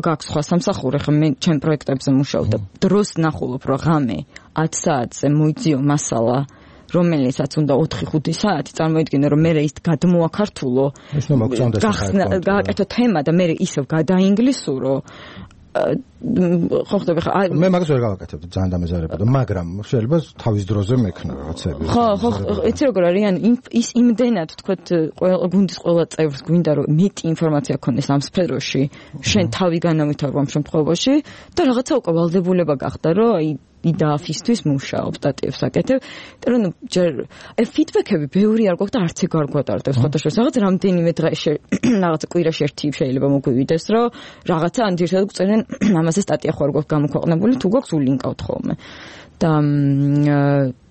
[SPEAKER 5] გაქვს სხვა სამსახური ეხლა მე ჩემ პროექტებზე მუშაობ და დროს ნახულობ რომ ღამე ათ საათზე მოიძიო მასალა რომელიცაც უნდა ოთხი ხუთი საათი წარმოიდგინე რომ მე ის გადმოაქართულო გააკეთო თემა და მე ისევ გადაინგლისურო ხო ხდება ხა
[SPEAKER 4] მე მაგას ვერ გავაკეთებ ძალიან დამეზარებოდა მაგრამ შეიძლება თავის დროზე მექნა რაღაცები
[SPEAKER 5] ხო ხო იცი როგორ არის ან ის იმდენად თქვათ ყველა გუნდის ყველა წევრს გვინდა რომ მეტი ინფორმაცია ქონდეს ამ სფეროში შენ თავი განავითარო ამ შემთხვევაში და რაღაცა უკვე ვალდებულება გახდა რომ აი იდააფისთვის მუშაობ, სტატიებს აკეთებ. იმიტომ რომ ჯერ აი ფიდბექები ბევრი არ გვაქვს და არც ეგ არ გვატარდეს ხოთაშორის. რაღაც რამდენიმე დღეში რაღაც კვირაში ერთი შეიძლება მოგვივიდეს, რომ რაღაცა ან ძირითადად გვწერენ ამაზე სტატია ხო არ გვაქვს გამოქვეყნებული, თუ გვაქვს ულინკავთ ხოლმე. და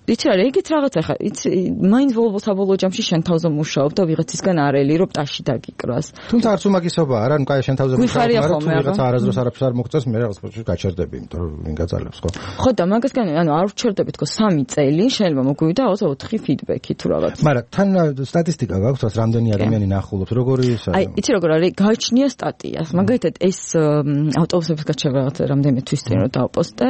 [SPEAKER 5] იცი რა, ეგეთ რაღაცა ხა, იცი, მაინც საბოლოო ჯამში შენ თავზე მუშაობ და ვიღაცისგან არ ელი, რომ ტაში დაგიკრას.
[SPEAKER 4] თუმცა არც უმაგისობა არა, ნუ კაი შენ თავზე მუშაობ, მაგრამ თუ ვიღაცა არასდროს არაფერს არ მოგწევს, მე რაღაც პროცესში გაჩერდები, იმიტომ რომ ვინ გაწალებს ხო?
[SPEAKER 5] ხო და მაგასგან, ანუ არ ვჩერდები თქო სამი წელი, შეიძლება მოგვივიდა რაღაცა ოთხი ფიდბექი თუ რაღაც.
[SPEAKER 4] მაგრამ თან სტატისტიკა გაქვს, რაც რამდენი ადამიანი ნახულობს, როგორი ისა?
[SPEAKER 5] აი, იცი როგორ არის, გააჩნია სტატიას. მაგალითად ეს ავტობუსების გაჩერება რაღაც რამდენიმე თვის წინ რომ დავპოსტე,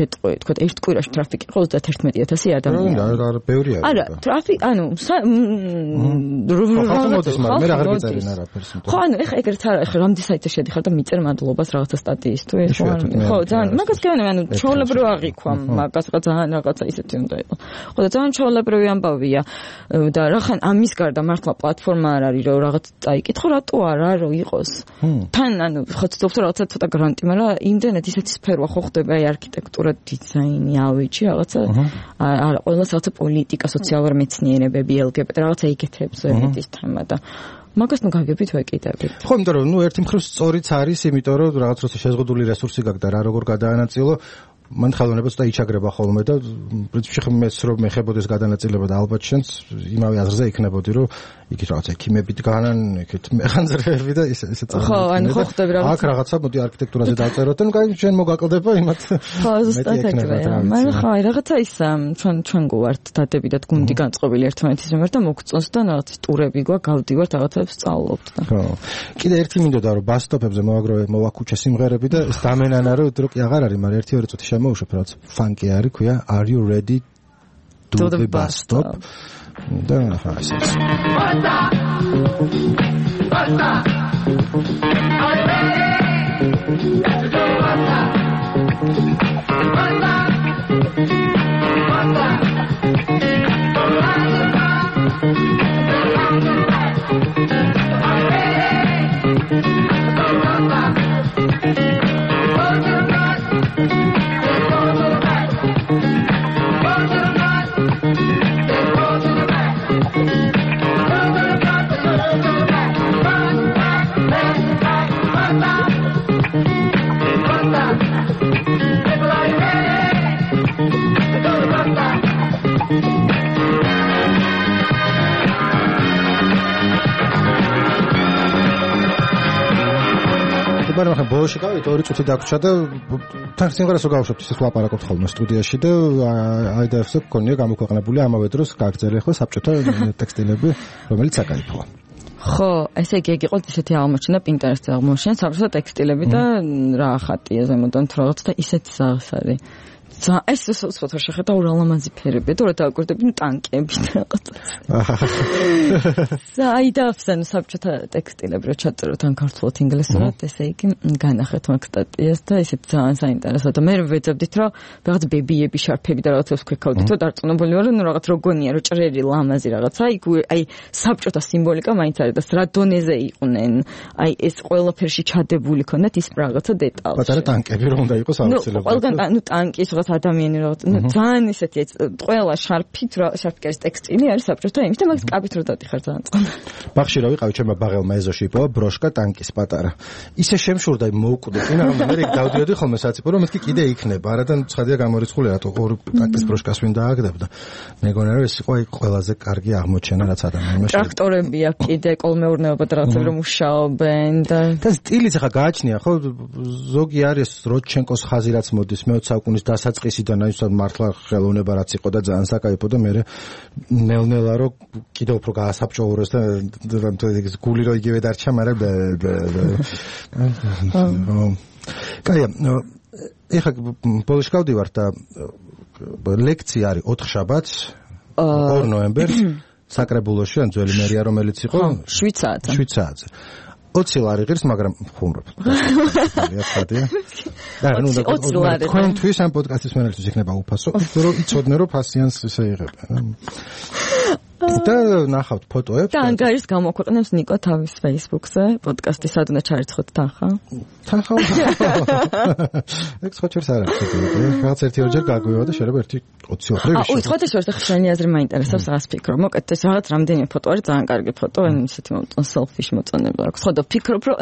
[SPEAKER 5] გეტყვი, თქო, ერთ კვირაში ტრაფიკი იყო ოცდაათერთმეტი ათასი ადამიანი.
[SPEAKER 4] რა, რა, ბევრია.
[SPEAKER 5] არა, ტრაფიკი, ანუ
[SPEAKER 4] ხალხი მე რა აღარ გიწერენ არაფერს.
[SPEAKER 5] ხო, ანუ ეხა ეგრეთ არა, ეხა რამდენი საიტზე შედიხარ და მიწერ მადლობას რაღაცა სტატიისთვის, ხო, ხო, ძალიან, მაგას განე, ანუ ჩაოლებრივ აღიქვა, მაგას ძალიან რაღაცა ისეთი უნდა იყოს. ხო, და ძალიან ჩაოლებრივი ამბავია და რახან ამის გარდა მართლა პლატფორმა არ არის, რომ რაღაც წაიკითხო, რატო არა, რომ იყოს. თან, ანუ ხო, ცდილობ რაღაცა ცოტა გრანტი, მაგრამ იმდენად ისეთი სფეროა ხო ხდება, აი არქიტექტურა, დიზაინი, ავეჯი, რაღაცა არა, ყველას რაღაცა პოლიტიკა, სოციალური მეცნიერებები, ელ გი ბი ტი რაღაცა იგეთებს ეგეთის თემა და მაგას ნუ გაგებით ვეკიდებით.
[SPEAKER 4] ხო, იმიტომ რომ ნუ ერთი მხრივ სწორიც არის, იმიტომ რომ რაღაც როცა შეზღუდული რესურსი გაქვს და რა როგორ გადაანაწილო, მან ხელოვნება ცოტა იჩაგრება ხოლმე და პრინციპში მეც რომ მეხებოდეს გადანაწილება და ალბათ შენც იმავე აზრზე იქნებოდი, რომ იქით რაღაც ექიმებით განან, იქით მეხანძრეები და ისე ისე
[SPEAKER 5] წავედი. ხო, ანუ ხო ხდები რაღაცა.
[SPEAKER 4] აქ რაღაცა მოდი არქიტექტურაზე დავწეროთ და ნუ კაი შენ მოგაკლდება იმათ.
[SPEAKER 5] ხო, ზუსტად ეგრეა. მაგრამ ხო, აი რაღაცა ის ჩვენ ჩვენ გვართ დადებიდად გუნდი განწყობილი ერთმანეთის მიმართ და მოგწონს და რაღაც ტურები გვაქვს, გავდივართ რაღაცებს სწავლობთ და.
[SPEAKER 4] ხო. კიდე ერთი მინდოდა რომ ბასტოპებზე მოვაგროვე მოვაკუჩე სიმღერები და ეს დამენანა რომ დროკი აღარ არის, მაგრამ ერთი ორი წუთი შემოუშვებ, რაც ფანკი არის, ქვია Are you ready to the bus stop? და ხა ისე. Basta! Basta! Are you ready? Let's go basta! Basta! Basta! მაგრამ ხა ბოლოში გავით ორი წუთი დაგვრჩა და თან სიმღერას რო გავუშვებთ ისე ლაპარაკობთ ხოლმე სტუდიაში და აი და ეს გქონია გამოქვეყნებული ამავე დროს გაგწერე ხო საბჭოთა ტექსტილები რომელიც აკაიფოა.
[SPEAKER 5] ხო, ესე იგი ეგ იყო ისეთი აღმოჩენა პინტერესტზე აღმოჩენა საბჭოთა ტექსტილები და რა ხატია ზემოდან თუ რაღაც და ისეთი სახის არის. ზა ეს უცხოთარ შეხედა ურალამაზი ფერები და რა დააკვირდები ტანკები და რაღაცა. ზა აი და ახსენე საბჭოთა ტექსტილები რო ჩაწეროთ ან ქართულად ინგლისურად ესე იგი განახეთ მაგ სტატიას და ისეთ ძალიან საინტერესო და მე ვეძებდით რომ რაღაც ბებიები შარფები და რაღაცას ვქეკავდით და დარწმუნებული ვარ რომ რაღაც როგონია რომ ჭრელი ლამაზი რაღაცა იქ აი საბჭოთა სიმბოლიკა მაინც არის და რა დონეზე იყვნენ აი ეს ყველაფერში ჩადებული ქონდათ ის რაღაცა დეტალი.
[SPEAKER 4] პატარა ტანკები რომ უნდა იყოს აუცილებლად.
[SPEAKER 5] ნუ ყველგან ნუ ტანკის რაღაც ადამიანი რა ნუ ძალიან ისეთი ყველა შარფით რა შარფკერის ტექსტილი არის საბჭოთა იმის და მაგის კაბით რო დადიხარ ძალიან წყნა.
[SPEAKER 4] ბახში რა ვიყავი ჩემმა ბაღელმა ეზოში იპოვა ბროშკა ტანკის პატარა. ისე შემშურდა მოუკვდი წინა რომ მე დავდიოდი ხოლმე საციფრო რომ მეთქი კიდე იქნება არადა ცხადია გამორიცხული რატო ორი ტანკის ბროშკას ვინ დააგდებდა. მეგონა რომ ეს იყო ყველაზე კარგი აღმოჩენა რაც ადამიანმა
[SPEAKER 5] შეძლო. ტრაქტორები აქვს კიდე კოლმეურნეობა და რაღაცები რომ მუშაობენ და
[SPEAKER 4] და სტილიც ახლა გააჩნია ხო ზოგი არის როდჩენკოს ხაზი რაც მოდის მეოცე საუკუნის დასაწყისიდან აი უბრალოდ მართლა ხელოვნება რაც იყო და ძალიან საკაიფო და მე ნელ-ნელა რო კიდევ უფრო გაასაბჭოურეს და გული რო იგივე დარჩა მაგრამ კაია ეხა პოლში გავდივარ და ლექცია არის ოთხ შაბათს ორ ნოემბერს საკრებულოში ან ძველი მერია რომელიც იყო
[SPEAKER 5] შვიდ საათზე
[SPEAKER 4] შვიდ საათზე ოცი ლარი ღირს, მაგრამ ხუმრობ. ხადია. და ნუ და თქვენთვის ამ პოდკასტის მენელთვის იქნება უფასო, რომ იცოდნენ რომ ფასიანს ისე იღებენ. და ნახავთ ფოტოებს.
[SPEAKER 5] და ანგარის გამოქვეყნებს ნიკო თავის Facebook-ზე, პოდკასტი სადუნა ჩარიცხოთ თანხა.
[SPEAKER 4] თანხა. ეგ ხოჭერს არ აქვს. რაღაც ერთი ორჯერ გაგვივა და შეიძლება ერთი ოცი ოთხი
[SPEAKER 5] ვიშო. აუ, ხოთა შორს და ხშენი აზრი მაინტერესებს რაღაც ფიქრო. მოკეთ ეს რაღაც რამდენი ფოტო არის ძალიან კარგი ფოტო, ან ისეთი მომწონ selfish მოწონება აქვს. ხო და ფიქრობ რომ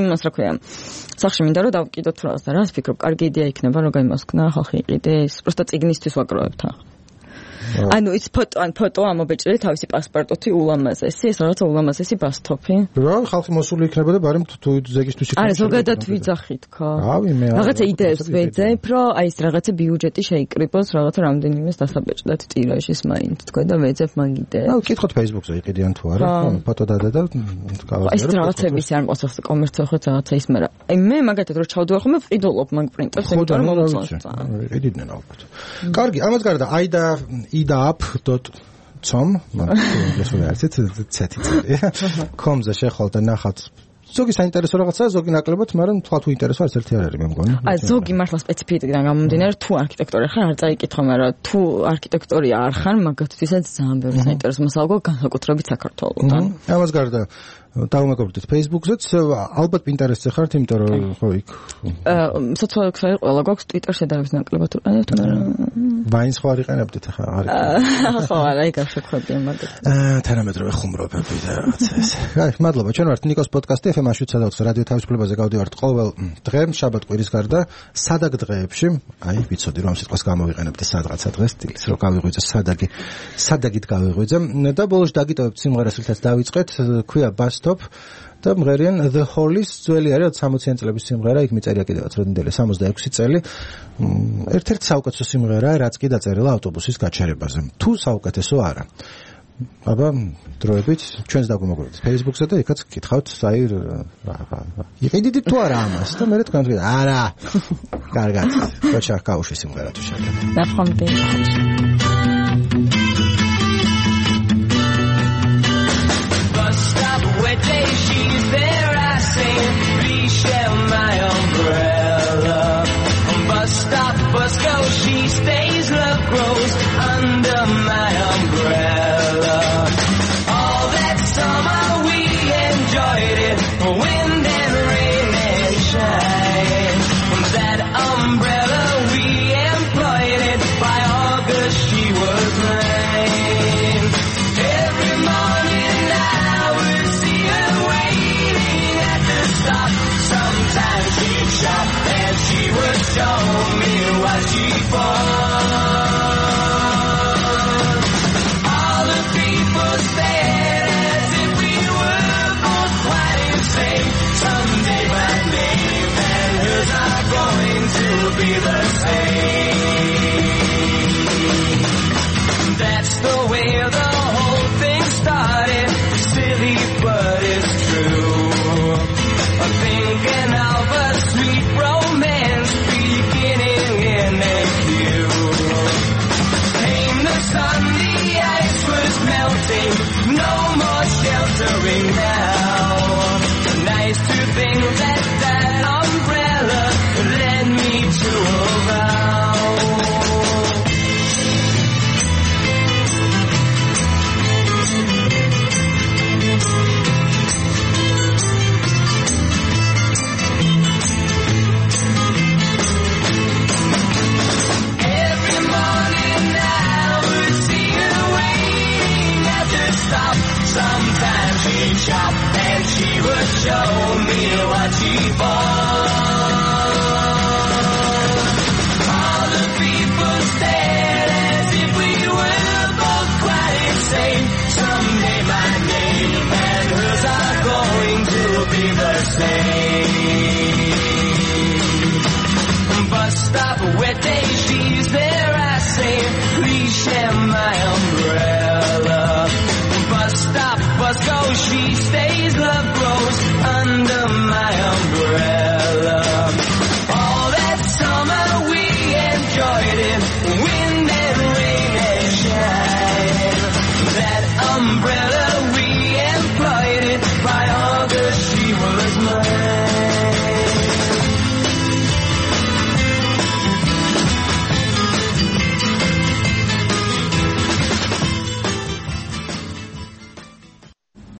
[SPEAKER 5] იმას რა ქვია. სახში მინდა რომ დავკიდოთ რაღაც და რას ფიქრობ, კარგი იდეა იქნება რომ გამოსკნა ხალხი იყიდეს, просто წიგნისთვის ვაკროვებ თანხა. ანუ ის ფოტო ან ფოტო ამობეჭდე თავისი პასპორტოთი ულამაზესი, ეს რაღაცა ულამაზესი ბასთოფი.
[SPEAKER 4] რა, ხალხი მოსული იქნება და ბარემ თუ ზეგისთვის იქნება.
[SPEAKER 5] არა, ზოგადად ვიძახით ხო?
[SPEAKER 4] რავი, მე
[SPEAKER 5] რაღაცა იდეებს ვეძებ, რომ აი ეს რაღაცა ბიუჯეტი შეიკრიბოს, რაღაცა რამდენიმეს დასაბეჭდათ ტირაჟის მაინც თქვა და ვეძებ მაგ იდეებს.
[SPEAKER 4] აუ, კითხოთ Facebook-ზე იყიდიან თუ არა, ფოტო დადე და გავაზიარო.
[SPEAKER 5] ეს რაღაცების არ მოხდეს კომერციულად რაღაცა ის, მაგრამ აი მე მაგათად რო ჩავდივარ ხომ მე ვყიდულობ მაგ პრინტერს, იმიტომ რომ მომწონს.
[SPEAKER 4] იყიდნენ ალბათ. კარგი, ამას გარდა აი და idap.com მაგას ვეცეთ ცეთი წელი com-ზე შეხვალ და ნახავთ ზოგი საინტერესო რაღაცაა ზოგი ნაკლებად მაგრამ თქვა თუ ინტერესო არც ერთი არ არის მე მგონი
[SPEAKER 5] აი ზოგი მართლა სპეციფიკიდან გამომდინარე თუ არქიტექტორი ხარ არ წაიკითხო მაგრამ თუ არქიტექტორია არ ხარ მაგათვისაც ძალიან ბევრი საინტერესო მასალა განსაკუთრებით საქართველოსთან
[SPEAKER 4] ამას გარდა დავუმეგობრდით Facebook-ზეც ალბათ პინტერესტზე ხართ იმიტომ რომ ხო იქ
[SPEAKER 5] სოციალური ქსელი ყველა გვაქვს Twitter-ში დავის ნაკლებად უყენებთ
[SPEAKER 4] ვაინს ხო არ იყენებდით ახლა არის
[SPEAKER 5] ხო არა იქ არ შეხვედია მაგათ
[SPEAKER 4] თანამედროვე ხუმრობები და რაღაცა ეს აი მადლობა ჩვენ ვართ ნიკოს პოდკასტი ეფ ემ შვიდ ოცდაოთხ რადიო თავისუფლებაზე გავდივართ ყოველ დღე შაბათ კვირის გარდა საдаг დღეებში აი ვიცოდი რომ სიტყვას გამოვიყენებდი სადღაცა დღეს სტილის რომ გავიღვიძე სადაგი სადაგით გავიღვიძე და ბოლოს დაგიტოვებთ სიმღერას რითაც დავიწყეთ ქვია Bastop და მღერიან The Hollies ძველი არის სამოციან წლების სიმღერა იქ მიწერია კიდევაც როდენდელი სამოცდაექვსი წელი ერთ-ერთი საუკეთესო სიმღერაა რაც კი დაწერილა ავტობუსის გაჩერებაზე თუ საუკეთესო არა აბა დროებით ჩვენს დაგვიმოგვრეთ Facebook-ზე და იქაც გითხავთ აი იყიდით თუ არა ამას და მე თქვენ თქვით არა კარგად კოჩა კაუში სიმღერა თუ შეგიძლიათ
[SPEAKER 5] ნახვამდე
[SPEAKER 7] She's there, I say, please share my umbrella. Bus stop, bus go, she stays, love grows under my umbrella. All that summer we enjoyed it, wind and rain and shine. That umbrella we employed it, by August she was mine. Every morning I would see her waiting at the stop. Sometimes she'd shop and she would show me what she bought. All the people stared as if we were both quite insane. Someday my name and hers are going to be the same. That's the way the whole thing started. Silly, but it's true. I'm thinking of a sweet romance beginning in a few. Came the sun, the ice was melting. No more sheltering now. Nice to think that that umbrella led me to a vow. Sometimes she'd shop and she would show me what she bought. All the people stared as if we were both quite insane. Someday my name and hers are going to be the same. Bus stop, wet day, she's there, I say, please share my umbrella. Bus stop, bus go, she stays, love grows.